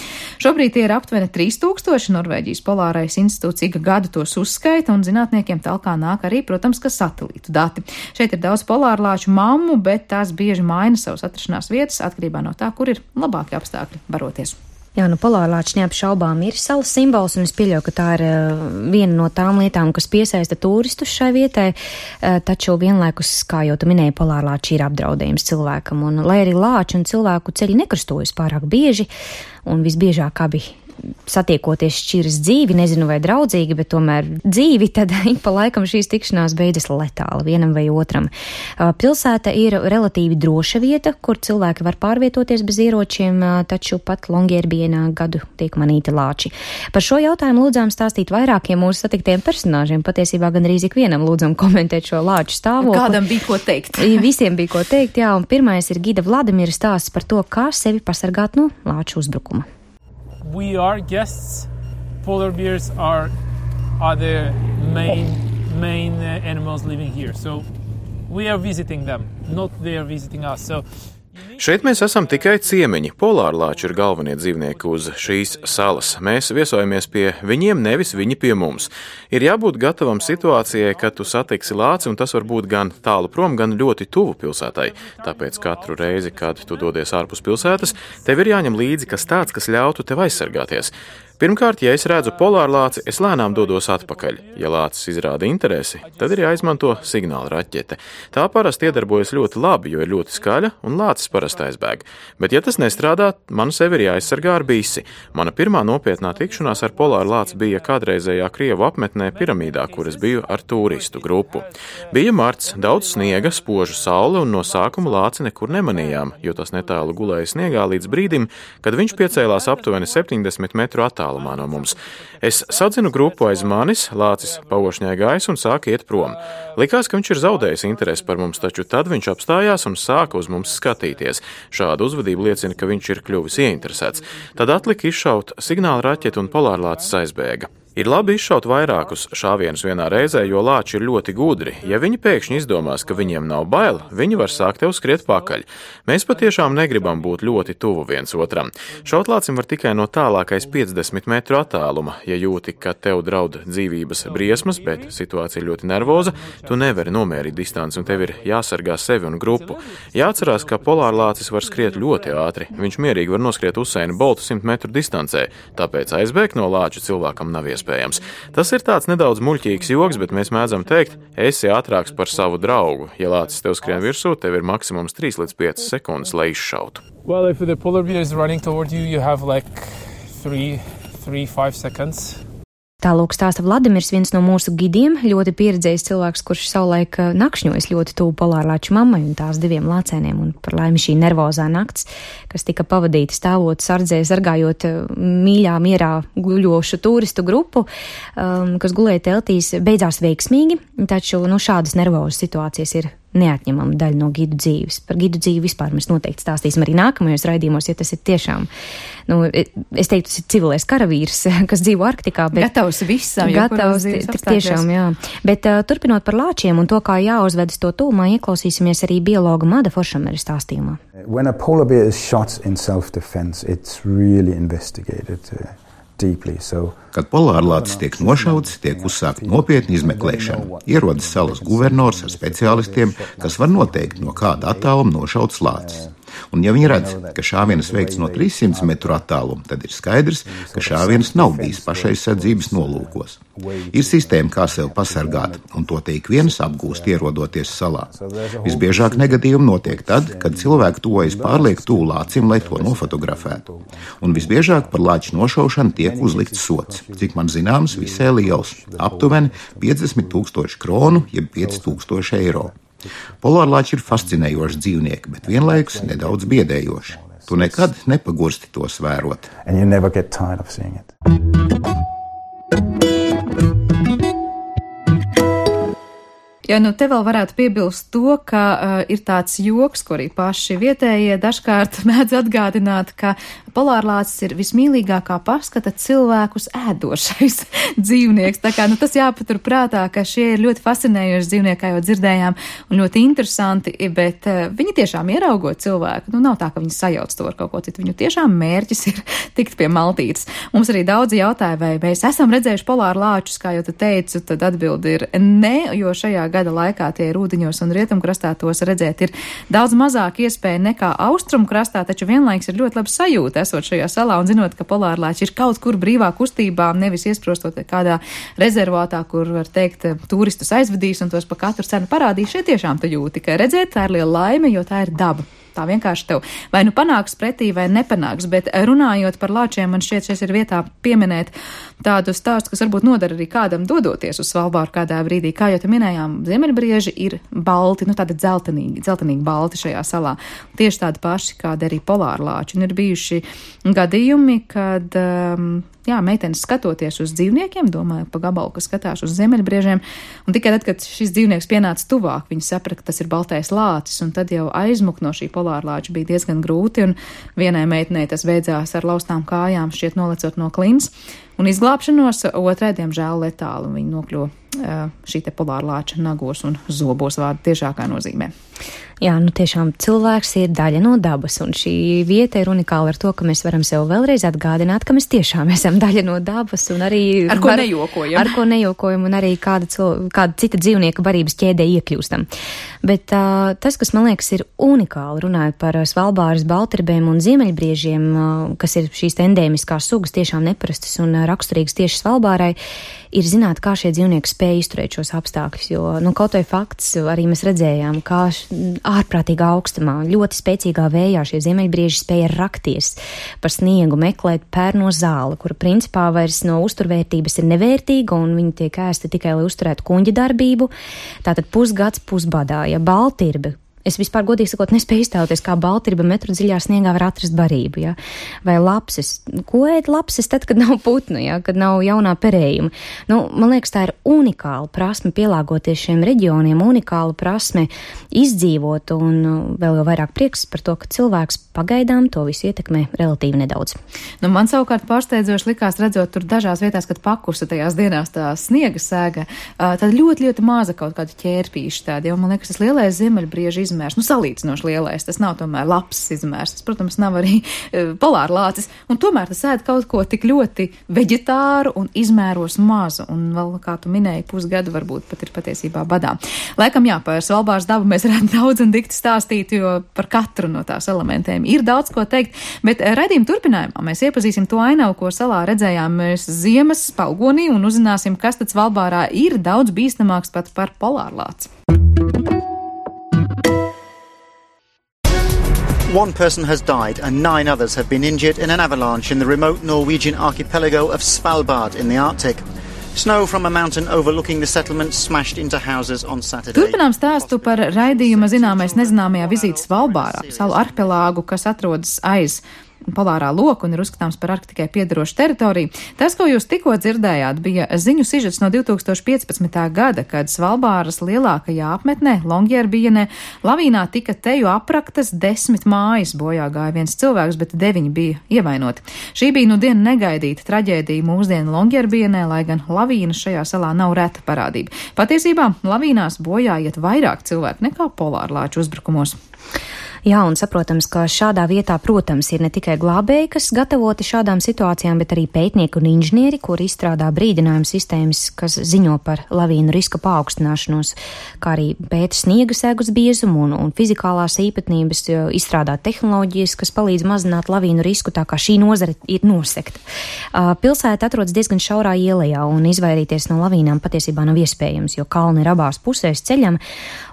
Šobrīd tie ir aptuveni trīs tūkstoši. Norvēģijas polārais institūts ik gadu tos uzskaita, un zinātniekiem talkā nāk arī, protams, ka satelītu dati. Šeit ir daudz polārlāču mammu, bet tās bieži maina savas atrašanās vietas atkarībā no tā, kur ir labākie apstākļi baroties. Jā, nu polārlāči neapšaubām ir salas simbols, un es pieļauju, ka tā ir uh, viena no tām lietām, kas piesaista turistus šai vietai, uh, taču vienlaikus, kā jau tu minēji, polārlāči ir apdraudējums cilvēkam, un lai arī lāči un cilvēku ceļi nekrustojas pārāk bieži, un visbiežāk abi satiekoties šķiras dzīvi, nezinu vai draudzīgi, bet tomēr dzīvi, tad ik pa laikam šīs tikšanās beidzas letāli vienam vai otram. Pilsēta ir relatīvi droša vieta, kur cilvēki var pārvietoties bez ieročiem, taču pat Longyearbyenā gadu tiek manīti lāči. Par šo jautājumu lūdzām stāstīt vairākiem mūsu satiktiem personāžiem, patiesībā gan arī ikvienam lūdzam komentēt šo lāču stāvokli. Kādam bija ko teikt? Visiem bija ko teikt, jā, un pirmais ir Gida Vladimira stāsts par to, kā sevi pasargāt no lāču uzbrukuma. We are guests. Polar bears are, are the main main uh, animals living here. So we are visiting them, not they are visiting us. So Šeit mēs esam tikai ciemiņi. Polārlāči ir galvenie dzīvnieki uz šīs salas. Mēs viesojamies pie viņiem, nevis viņi pie mums. Ir jābūt gatavam situācijai, kad tu satiksi lāci, un tas var būt gan tālu prom, gan ļoti tuvu pilsētai. Tāpēc katru reizi, kad tu dodies ārpus pilsētas, tev ir jāņem līdzi kas tāds, kas ļautu tev aizsargāties. Pirmkārt, ja es redzu polārlāci, es lēnām dodos atpakaļ. Ja lācis izrāda interesi, tad ir jāizmanto signāla raķete. Tā parasti iedarbojas ļoti labi, jo ir ļoti skaļa un lācis parasti aizbēg. Bet, ja tas nestrādā, man sevi ir jāaizsargā ar bisi. Mana pirmā nopietnā tikšanās ar polārlāci bija kādreizējā Krievu apmetnē piramīdā, kur es biju ar turistu grupu. Bija marts, daudz sniega, spoža saule, un no sākuma lāci nekur nemanījām, jo tas netālu gulēja sniegā līdz brīdim, kad viņš piecēlās aptuveni septiņdesmit metru attālumā no mums. Es sadzinu grupu aiz manis, lācis paošņāja gaisu un sāka iet prom. Likās, ka viņš ir zaudējis interesi par mums, taču tad viņš apstājās un sāka uz mums skatīties. Šāda uzvedība liecina, ka viņš ir kļuvis ieinteresēts. Tad atlika izšaut signāla raķeti un polārlācis aizbēga. Ir labi izšaut vairākus šāvienus vienā reizē, jo lāči ir ļoti gudri. Ja viņi pēkšņi izdomās, ka viņiem nav bail, viņi var sākt tev skriet pakaļ. Mēs patiešām negribam būt ļoti tuvu viens otram. Šaut lācim var tikai no tālākais piecdesmit metru attāluma. Ja jūti, ka tev draud dzīvības briesmas, bet situācija ir ļoti nervoza, tu nevari nomērīt distanci un tev ir jāsargā sevi un grupu. Jāatcerās, ka polārlācis var skriet ļoti ātri. Viņš mierīgi var noskriet Usaina Boltu simt metru distancē, tāpēc aizbēgt no lāča cilvēkam nav iespējams. Tas ir tāds nedaudz muļķīgs joks, bet mēs mēdzam teikt, esi ātrāks par savu draugu. Ja lācis tev skrien virsū, tev ir maksimums trīs līdz piecas sekundes, lai izšautu. Well, if the polar bear is running toward you, you have like three, three, five seconds. Tālūk stāsta Vladimirs, viens no mūsu gidiem, ļoti pieredzējis cilvēks, kurš savulaik nakšņojas ļoti tuvu polārlāču mammai un tās diviem lācēniem, un par laimi šī nervozā nakts, kas tika pavadīta stāvot sardzē, sargājot mīļā mierā guļošu turistu grupu, um, kas gulēja teltīs, beidzās veiksmīgi, taču nu, šādas nervozas situācijas ir neatņemama daļa no gidu dzīves. Par gidu dzīvi vispār mēs noteikti stāstīsim arī nākamajos raidījumos, ja tas ir tiešām, nu, es teiktu, tas ir civilais karavīrs, kas dzīvo Arktikā. Bet gatavs visam, gatavs, tiešām, jā. Bet uh, turpinot par lāčiem un to, kā jāuzvedas to tūmā, ieklausīsimies arī biologa Mada Foršamera stāstījumā. When a polar bear is shot in self-defense, it's really investigated uh, deeply, so Kad polārlācis tiek nošauts, tiek uzsākta nopietna izmeklēšana. Ierodas salas guvernors ar speciālistiem, kas var noteikt, no kāda attāluma nošauts lācis. Un ja viņi redz, ka šāvienas veikts no trīssimti metru attāluma, tad ir skaidrs, ka šāvienas nav bijis pašaizsardzības nolūkos. Ir sistēma, kā sev pasargāt, un to te ik viens apgūst ierodoties salā. Visbiežāk negadījumi notiek tad, kad cilvēki tuvojas pārlieku tuvu lācim, lai to nofotografētu. Un visbiežāk par lāču nošaušanu tiek uzlikts sots, cik man zināms, visai liels, aptuveni piecdesmit tūkstoši kronu, jeb pieci tūkstoši eiro. Polārlāči ir fascinējoši dzīvnieki, bet vienlaikus nedaudz biedējoši. Tu nekad nepagursti tos vērot. And you never get tired of seeing it. Ja nu te vēl varētu piebilst to, ka uh, ir tāds joks, ko arī paši vietējie dažkārt mēdz atgādināt, ka polārlācis ir vismīlīgākā paskata cilvēkus ēdošais dzīvnieks. Tā kā nu, tas jāpatur prātā, ka šie ir ļoti fascinējoši dzīvnieki, kā jau dzirdējām, un ļoti interesanti, bet uh, viņi tiešām ieraugot cilvēku. Nu, nav tā, ka viņi sajauc to ar kaut ko citu. Viņu tiešām mērķis ir tikt pie maltītes. Mums arī daudzi jautāja, vai mēs esam redzējuši polārlāčus, kā jau tu teicu, tad atbildi ir nē, jo šajā gada laikā tie ir ūdeņos un rietumkrastā tos redzēt ir daudz mazāk iespēja nekā austrumkrastā, taču vienlaiks ir ļoti labi sajūta esot šajā salā un zinot, ka polārlāči ir kaut kur brīvā kustībā, nevis iesprostot kādā rezervātā, kur var teikt turistus aizvedīs un tos pa katru cenu parādīs. Šeit tiešām tu jūti, ka redzēt tā ir liela laime, jo tā ir daba. Tā vienkārši tev vai nu panāks pretī, vai nepanāks, bet runājot par lāčiem, man šķiet, šeit ir vietā pieminēt tādu stāstu, kas varbūt nodara arī kādam dodoties uz Svalbāru kādā brīdī. Kā jau te minējām, ziemeļbrieži ir balti, nu tāda dzeltenīgi, dzeltenīgi balti šajā salā. Tieši tādi paši, kādi arī polārlāči. Un ir bijuši gadījumi, kad, um, jā, meitenes skatoties uz dzīvniekiem, domāju pa gabalu, ka skatās uz ziemeļbriežiem, un tikai tad, kad šis dzīvnieks pienāca tuvāk, viņi saprata, ka tas ir baltais lācis, un tad jau aizmukt no šī polārlāča bija diezgan grūti, un vienai meitenei tas beidzās ar laustām kājām, šķiet nolecot no klints, un izglābšanos, otrai, diemžēl, letāli, un viņi nokļuva šī te polārlāča nagos un zobos vārdu tiešākā nozīmē. Jā, nu tiešām cilvēks ir daļa no dabas, un šī vieta ir unikāla ar to, ka mēs varam sev vēlreiz atgādināt, ka mēs tiešām esam daļa no dabas, un arī ar ko var, nejokojam. Ar ko nejokojam, un arī kāda, cil, kāda cita dzīvnieka barības ķēdē iekļūstam. Bet uh, tas, kas man liekas ir unikāli, runājot par Svalbāras baltirbēm un ziemeļbriežiem, uh, kas ir šīs endēmiskās sugas, tiešām neparastas un uh, raksturīgas tieši Svalbārai, ir zināt, kā šie dzīvnieki spēj izturēt šos apstākļus, jo, nu, kaut vai fakts, arī mēs redzējām, kā ārprātīgā augstumā, ļoti spēcīgā vējā šie ziemeļbrieži spēja rakties par sniegu, meklēt pērno zāli, kura principā vairs no uzturvērtības ir nevērtīga, un viņi tiek ēsti tikai, lai uzturētu kuņģa darbību. Tātad pusgads pusbadā, ja baltirbi. Es vispār, godīgi sakot, nespēju iztēloties, kā baltirba metru dziļā sniegā var atrast barību, ja? Vai lapses. Ko ēd lapses tad, kad nav putnu, ja? Kad nav jaunā perējuma? Nu, man liekas, tā ir unikāla prasme pielāgoties šiem reģioniem, unikāla prasme izdzīvot, un vēl jau vairāk prieks par to, ka cilvēks pagaidām to visu ietekmē relatīvi nedaudz. Nu, man savukārt pārsteidzoši likās, redzot tur dažās vietās, kad pakusa tajās dienās tā sniega sēga, tad ļoti, ļoti maza kaut kāda ķērpīša tāda, jo man liekas, tas lielais ziemeļbriežu izmērs, nu salīdzinoši lielais, tas nav tomēr labs izmērs, tas, protams, nav arī uh, polārlācis, un tomēr tas ēd kaut ko tik ļoti veģetāru un izmēros mazu, un vēl, kā tu minēji, pusgadu varbūt pat ir patiesībā badā. Laikam, jā, par Svalbāras dabu mēs varētu daudz un dikti stāstīt, jo par katru no tās elementiem ir daudz ko teikt, bet raidījuma turpinājumā mēs iepazīsim to ainavu, ko salā redzējām mēs ziemas spalgonī, un uzzināsim, kas tad Svalbārā ir daudz bīstamāks pat par polārlāci. One person has died and nine others have been injured in an avalanche in the remote Norwegian archipelago of Svalbard in the Arctic. Snow from a mountain overlooking the settlement smashed into houses on Saturday. Turpinām stāstu par raidījuma zināmais nezināmajā vizītes Svalbārā, salu arhipelāgu, kas atrodas aiz polārā loka un ir uzskatāms par Arktikai piedarošu teritoriju. Tas, ko jūs tikko dzirdējāt, bija ziņu sižets no divi tūkstoši piecpadsmitā gada, kad Svalbāras lielākajā apmetnē, Longyearbyene, lavīnā tika teju apraktas desmit mājas, bojā gāja viens cilvēks, bet deviņi bija ievainoti. Šī bija nu diena negaidīta traģēdija mūsdienu Longyearbyenē, lai gan lavīnas šajā salā nav reta parādība. Patiesībā lavīnās bojā iet vairāk cilvēku nekā polārlāču uzbrukumos. Jā, un saprotams, ka šādā vietā, protams, ir ne tikai glābēji, kas gatavoti šādām situācijām, bet arī pētnieki un inženieri, kuri izstrādā brīdinājumu sistēmas, kas ziņo par lavīnu riska paaugstināšanos, kā arī pēta sniega segus biezumu un, un fizikālās īpatnības, izstrādā tehnoloģijas, kas palīdz mazināt lavīnu risku, tā kā šī nozare ir nosekta. Pilsēta atrodas diezgan šaurā ielejā, un izvairīties no lavīnām patiesībā nav iespējams, jo kalni ir abās pusēs ceļam,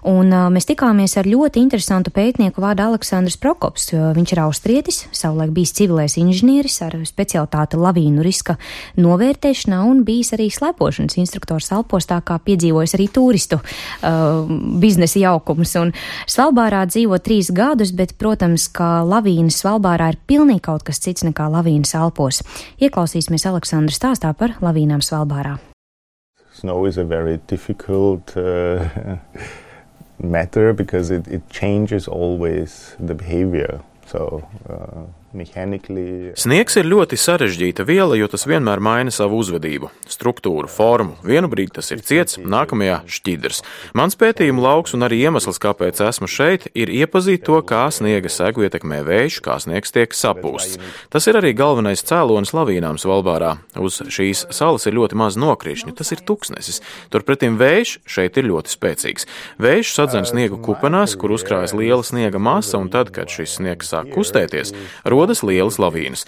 un mēs tikāmies ar ļoti interesantu pētnieku vārdu Aleksandrs Prokops. Viņš ir austrietis, savulaik bijis civilais inženieris ar specialitāti lavīnu riska novērtēšanā un bijis arī slēpošanas instruktors Alpos, tā kā piedzīvojis arī turistu uh, biznesa jaukumus. Un Svalbārā dzīvo trīs gadus, bet, protams, ka lavīnas Svalbārā ir pilnīgi kaut kas cits nekā lavīnas Alpos. Ieklausīsimies Aleksandra stāstā par lavīnām Svalbārā. Snow is a very difficult uh, matter because it, it changes always the behavior. So, uh, mechanically... Sniegs ir ļoti sarežģīta viela, jo tas vienmēr maina savu uzvedību, struktūru, formu. Vienu brīdi tas ir ciets, nākamajā šķidrs. Mans pētījuma lauks un arī iemesls, kāpēc esmu šeit, ir iepazīt to, kā sniega segu ietekmē vējš, kā sniegs tiek sapūsts. Tas ir arī galvenais cēlonis lavīnām Svalbārā. Uz šīs salas ir ļoti maz nokrišņu, tas ir tuksnesis. Turpretim vējš šeit ir ļoti spēcīgs. Vējš sadzen sniegu kupenās, kur uzkrājas liela sniega masa, un tad, kad šis sniegs sāk kustēties, rodas lielas lavīnas.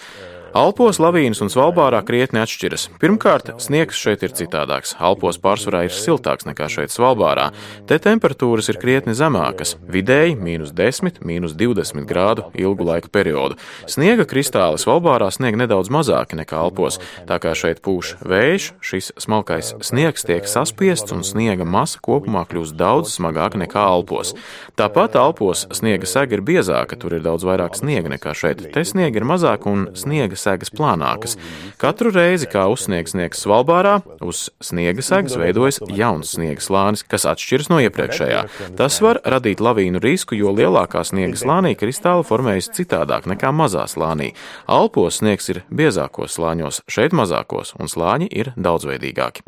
Alpos lavīnas un Svalbārā krietni atšķiras. Pirmkārt, sniegs šeit ir citādāks. Alpos pārsvarā ir siltāks nekā šeit Svalbārā. Te temperatūras ir krietni zemākas, vidēji mīnus desmit, mīnus divdesmit grādu ilgu laika periodu. Sniega kristāli Svalbārā snieg nedaudz mazāki nekā Alpos, tā kā šeit pūš vējš, šis smalkais sniegs tiek saspiests un sniega masa kopumā kļūst daudz smagāka nekā Alpos. Tāpat Alpos sniega sega ir biezāka, tur ir daudz vairāk sniega nekā šeit. Te sniega ir mazāk un sniega sniega segas plānākas. Katru reizi, kā uzsniegs sniegs Svalbārā, uz sniega segas veidojas jauns sniega slānis, kas atšķiras no iepriekšējā. Tas var radīt lavīnu risku, jo lielākā sniega slānī kristāli formējas citādāk nekā mazā slānī. Alpos sniegs ir biezākos slāņos, šeit mazākos, un slāņi ir daudzveidīgāki.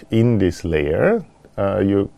In this layer, uh, you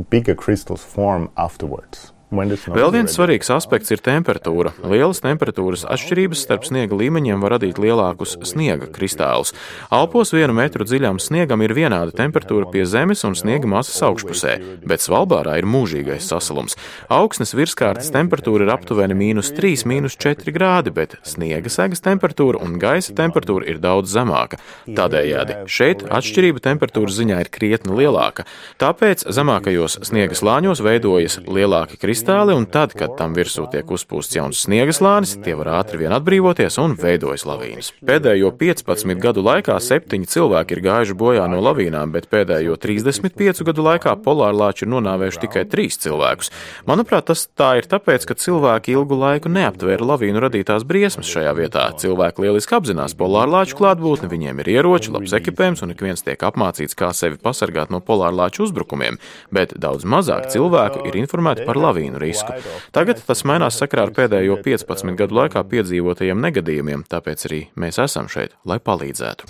bigger crystals form afterwards. Vēl viens svarīgs aspekts ir temperatūra. Lielas temperatūras atšķirības starp sniega līmeņiem var radīt lielākus sniega kristālus. Alpos vienu metru dziļām sniegam ir vienāda temperatūra pie zemes un sniega masas augšpusē, bet Svalbārā ir mūžīgais sasalums. Augsnes virskārtas temperatūra ir aptuveni mīnus trīs, mīnus četri grādi, bet sniega segas temperatūra un gaisa temperatūra ir daudz zemāka. Tādējādi šeit atšķirība temperatūras ziņā ir krietni lielāka. Tāpēc zemākajos sniega slāņos veidojas lielāki kristāli, un tad, kad tam virsū tiek uzpūsts jauns sniega slānis, tie var ātri vien atbrīvoties un veidojas lavīnas. Pēdējo piecpadsmit gadu laikā septiņi cilvēki ir gājuši bojā no lavīnām, bet pēdējo trīsdesmit piecu gadu laikā polārlāči ir nonāvējuši tikai trīs cilvēkus. Manuprāt, tas tā ir tāpēc, ka cilvēki ilgu laiku neaptvēra lavīnu radītās briesmas šajā vietā. Cilvēki lieliski apzinās polārlāču klātbūtni, viņiem ir ieroči, labs ekipējums un ik viens tiek apmācīts, kā sevi pasargāt no polārlāču uzbrukumiem, bet daudz mazāk cilvēku ir informēti par lavīnu risku. Tagad tas mainās sakarā ar pēdējo piecpadsmit gadu laikā piedzīvotajiem negadījumiem, tāpēc arī mēs esam šeit, lai palīdzētu.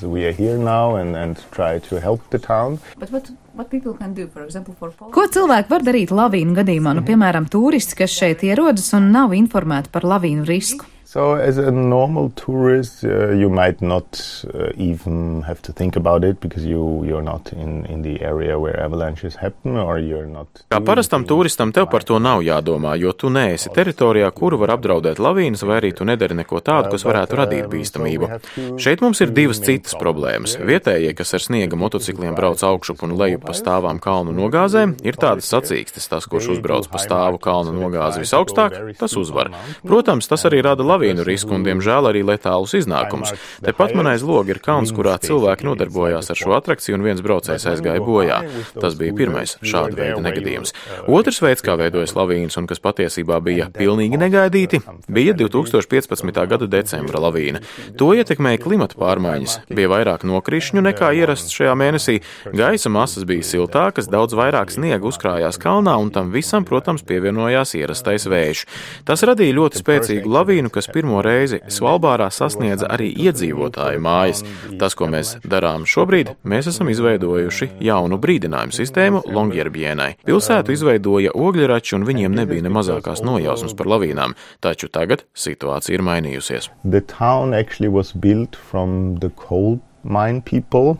Ko cilvēki var darīt lavīnu gadījumā? Nu, piemēram, turisti, kas šeit ierodas un nav informēti par lavīnu risku. So as a normal tourist, uh, you might not uh, even have to think about it because you, you're not in, in the area where avalanches happen or you're not... Kā parastam turistam tev par to nav jādomā, jo tu neesi teritorijā, kuru var apdraudēt lavīnas, vai arī tu nedari neko tādu, kas varētu radīt bīstamību. Šeit mums ir divas citas problēmas. Vietējie, kas ar sniega motocikliem brauc augšup un lejup pa stāvām kalnu nogāzēm, ir tādas sacīkstes. Tas, kurš uzbrauc pa stāvu kalnu nogāzi visaugstāk, tas uzvar. Protams, tas arī rada lavīnu risku un, diemžēl, arī letālus iznākumus. Tepat man aiz loga ir kalns, kurā cilvēki nodarbojās ar šo atrakciju un viens braucējs aizgāja bojā. Tas bija pirmais šāda veida negadījums. Otrs veids, kā veidojas lavīnas un kas patiesībā bija pilnīgi negaidīti, bija divi tūkstoši piecpadsmitā gada decembra lavīna. To ietekmēja klimata pārmaiņas. Bija vairāk nokrišņu nekā ierasts šajā mēnesī, gaisa masas bija siltākas, daudz vairāk sniega uzkrājās kalnā un tam visam, protams, pievienojās ierastais vējš. Tas radīja ļoti spēcīgu lavīnu, kas pirmo reizi Svalbārā sasniedza arī iedzīvotāju mājas. Tas, ko mēs darām šobrīd, mēs esam izveidojuši jaunu brīdinājumu sistēmu Longyearbyēnai. Pilsētu izveidoja ogļrači un viņiem nebija ne mazākās nojausmas par lavīnām, taču tagad situācija ir mainījusies. The town actually was built from the coal mine people.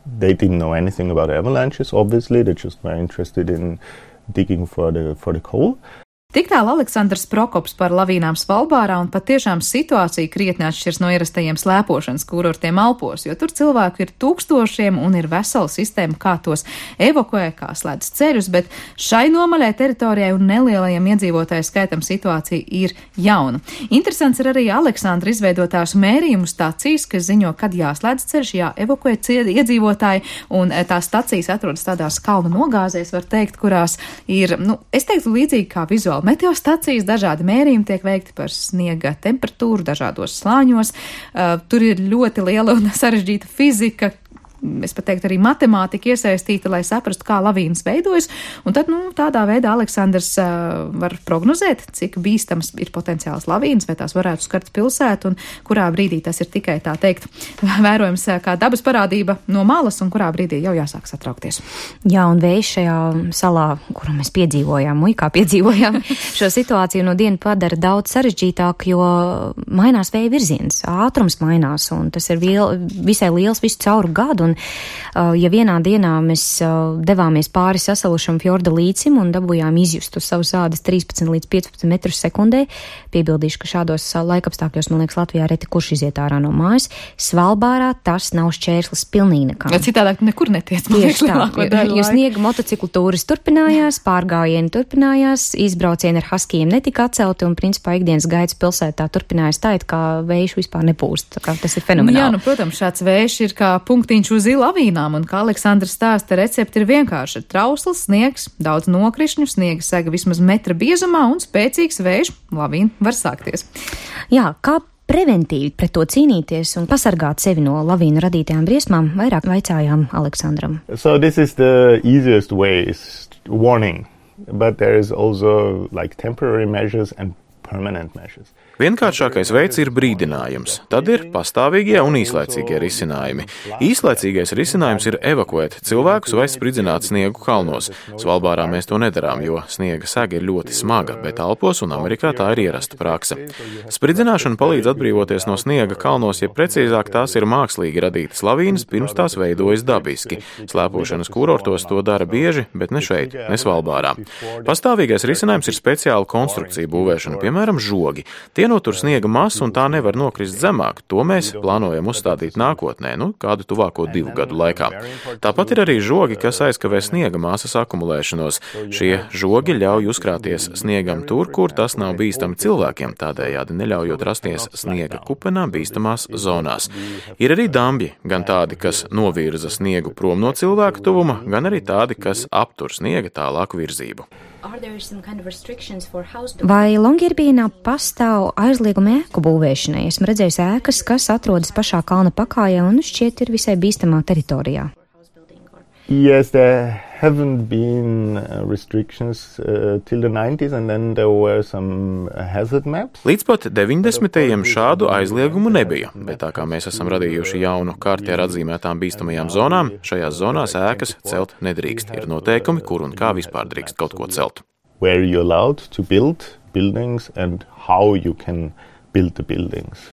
They didn't know anything about avalanches, obviously. They just were interested in digging for the, for the coal. Tik tālu Aleksandrs Prokops par lavīnām Svalbārā, un patiešām situācija krietni atšķirs no ierastajiem slēpošanas kurortiem Alpos, jo tur cilvēku ir tūkstošiem un ir vesela sistēma, kā tos evakuē, kā slēdz ceļus, bet šai nomaļai teritorijai un nelielajiem iedzīvotāju skaitam situācija ir jauna. Interesants ir arī Aleksandra izveidotās mērījumu stacijas, kas ziņo, kad jāslēdz ceļš, jāevakuē iedzīvotāji, un tās stacijas atrodas tādās kalnu nogāzēs, var teikt, kurās ir, nu, es teiktu līdzīgi kā vizuāli meteostacijas, dažādi mērījumi tiek veikti par sniega temperatūru dažādos slāņos. Uh, tur ir ļoti liela un sarežģīta fizika, es pat teiktu arī matemātika iesaistīta, lai saprastu, kā lavīnas veidojas. Un tad, nu, tādā veidā Aleksandrs uh, var prognozēt, cik bīstams ir potenciāls lavīnas, vai tās varētu skart pilsētu, un kurā brīdī tas ir tikai, tā teikt, vērojams kā dabas parādība no malas, un kurā brīdī jau jāsāk satraukties. Jā, un vējš šajā salā, kuru mēs piedzīvojām, muikā piedzīvojām, šo situāciju no dienu padara daudz sarežģītāk, jo mainās vēja virziens, ātrums mainās, un tas ir viel, visai liels visu cauru gadu, un Un, ja vienā dienā mēs devāmies pāri sasalušam fjorda līcim un dabūjām izjust uz savus ādas trīspadsmit līdz piecpadsmit metrus sekundē, piebildīšu, ka šādos laikapstākļos, man liekas, Latvijā reti kurš iziet ārā no mājas, Svalbārā tas nav šķērslis pilnīgi nekam. Citādāk nekur netiec. Tieši tā, jo sniega motociklu tūris turpinājās, pārgājieni turpinājās, izbraucieni ar haskijiem netika atcelti, un principā ikdienas gaids pilsētā turpinājās tā, it kā vējš vispār nepūst. Tā kā tas ir fenomenāli. Jā, nu, protams, šāds vējš ir kā punktiņš uz Uz lavīnām, un kā Aleksandrs stāsta, recepte ir vienkārši - trausls, sniegs, daudz nokrišņu, sniega sega vismaz metra biezumā un spēcīgs vējš, lavīna var sākties. Jā, kā preventīvi pret to cīnīties un pasargāt sevi no lavīnu radītajām briesmām, vairāk vaicājām Aleksandram. So this is the easiest way, is warning, but there is also like temporary measures and permanent measures. Vienkāršākais veids ir brīdinājums, tad ir pastāvīgie un īslaicīgie risinājumi. Īslaicīgais risinājums ir evakuēt cilvēkus vai spridzināt sniegu kalnos. Svalbārā mēs to nedarām, jo sniega sega ir ļoti smaga, bet Alpos un Amerikā tā ir ierasta prakse. Spridzināšana palīdz atbrīvoties no sniega kalnos, ja precīzāk tās ir mākslīgi radītas lavīnas, pirms tās veidojas dabiski. Slēpošanas kurortos to dara bieži, bet ne šeit, ne Svalbārā. Pastāvīgais risinājums ir speciāla konstrukcija būvēšana, piemēram, žogi. Tie notur sniega masu un tā nevar nokrist zemāk. To mēs plānojam uzstādīt nākotnē, nu, kādu tuvāko divu gadu laikā. Tāpat ir arī žogi, kas aizkavē sniega masas akumulēšanos. Šie žogi ļauj uzkrāties sniegam tur, kur tas nav bīstami cilvēkiem, tādējādi neļaujot rasties sniega kupenām bīstamās zonās. Ir arī dambļi, gan tādi, kas novirza sniegu prom no cilvēka tuvuma, gan arī tādi, kas aptur sniega tālāku virzību. Vai Longyearbyenā pastāv aizliegumi ēku būvēšanai? Esmu redzējis ēkas, kas atrodas pašā kalna pakājā un šķiet ir visai bīstamā teritorijā. Yes, there haven't been uh, restrictions uh, till the nineties, and then there were some hazard maps. Līdz pat deviņdesmitajiem šādu aizliegumu nebija, bet tā kā mēs esam radījuši jaunu karti ar atzīmētām bīstamajām zonām, šajās zonās ēkas celt nedrīkst. Ir noteikumi, kur un kā vispār drīkst kaut ko celt. Where you're allowed to build buildings and how you can build the buildings.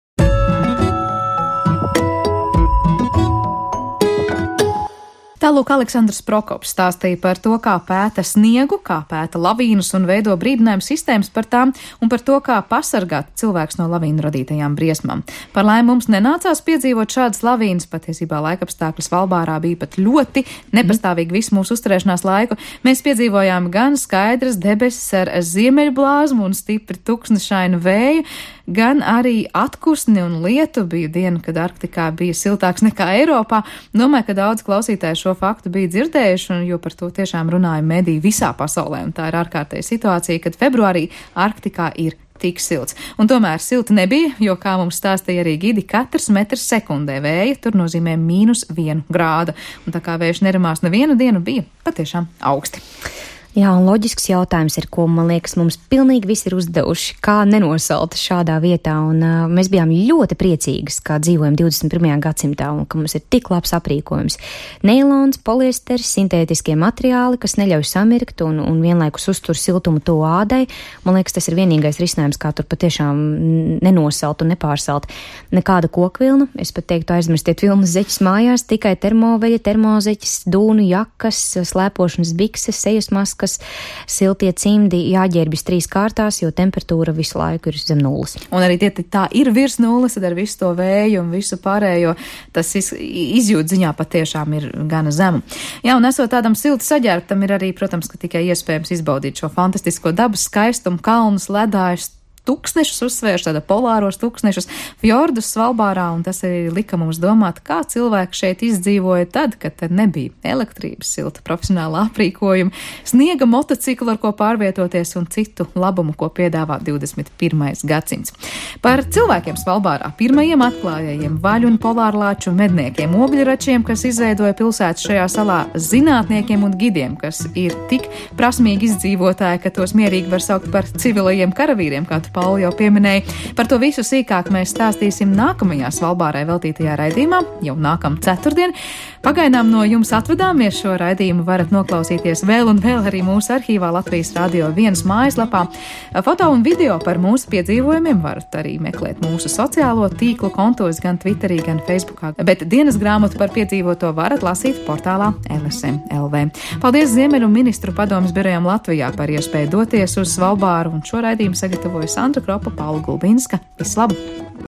Tālūk Aleksandrs Prokops stāstīja par to, kā pēta sniegu, kā pēta lavīnus un veido brīdinājumu sistēmas par tām un par to, kā pasargāt cilvēks no lavīnu radītajām briesmām. Par laimi mums nenācās piedzīvot šādas lavīnas, patiesībā laikapstākļi Svalbārā bija pat ļoti nepastāvīgi visu mūsu uzturēšanās laiku. Mēs piedzīvojām gan skaidras debesis ar ziemeļblāzmu un stipri tuksnešainu vēju, gan arī atkusni un lietu. Bija diena, kad Arktikā bija siltāks nekā Eiropā. Domāju, ka daudz klausītāju šo faktu bija dzirdējuši, un jo par to tiešām runāja mediji visā pasaulē. Un tā ir ārkārtēja situācija, kad februārī Arktikā ir tik silts. Un tomēr silti nebija, jo, kā mums stāstīja arī gidi, katrs metrs sekundē vēja tur nozīmē mīnus vienu grādu. Un tā kā vējš nerimās nevienu dienu, bija patiešām augsti. Jā, un loģisks jautājums ir, ko, man liekas, mums pilnīgi visi ir uzdevuši, kā nenosalt šādā vietā, un uh, mēs bijām ļoti priecīgas, kā dzīvojam divdesmit pirmajā gadsimtā, un ka mums ir tik labs aprīkojums. Neilons, poliesteris, sintētiskie materiāli, kas neļauj samirkt un, un vienlaikus uztur siltumu to ādai. Man liekas, tas ir vienīgais risinājums, kā tur patiešām nenosalt un nepārsalt. Nekāda kokvilna, es pat teiktu aizmirstiet vilnas zeķis mājās, tikai termoveļa, termozeķis, dūnu jakas, slēpošanas bikses, sejas maskas, siltie cimdi, jāģērbjas trīs kārtās, jo temperatūra visu laiku ir zem nulles. Un arī tie tā ir virs nulles, tad ar visu to vēju un visu pārējo, tas iz, izjūt ziņā patiešām ir gana zemu. Jā, un esot tādam silti saģērbtam, ir arī, protams, ka tikai iespējams izbaudīt šo fantastisko dabas skaistumu, kalnus, ledājus, tuksnešus uzsvērš, tāda polāros tuksnešus, fjordus Svalbārā, un tas arī lika mums domāt, kā cilvēki šeit izdzīvoja tad, kad tad nebija elektrības, silta profesionāla aprīkojuma, sniega motociklu, ar ko pārvietoties un citu labumu, ko piedāvā divdesmit pirmais gadsimts. Par cilvēkiem Svalbārā, pirmajiem atklājējiem, vaļu un polārlāču medniekiem, ogļračiem, kas izveidoja pilsētu šajā salā, zinātniekiem un gidiem, kas ir tik prasmīgi izdzīvotāji, ka tos mierīgi var saukt par civilajiem karavīriem, kā tu Pauli jau pieminēja. Par to visu sīkāk mēs stāstīsim nākamajā Svalbārai veltītajā raidījumā, jau nākam ceturtdien. Pagaidām no jums atvadāmies, šo raidījumu varat noklausīties vēl un vēl arī mūsu arhīvā Latvijas Radio viens mājaslapā. Foto un video par mūsu piedzīvojumiem varat arī meklēt mūsu sociālo tīklu kontos gan Twitterī, gan Facebookā. Bet dienas grāmatu par piedzīvoto varat lasīt portālā L S M L V. Paldies Ziemeļu ministru padomes birojam Latvijā par iespēju doties uz Svalbāru, un šo raidījumu sagatavoja Sandra Kropa, Paula Gulbinska. Vislabāk!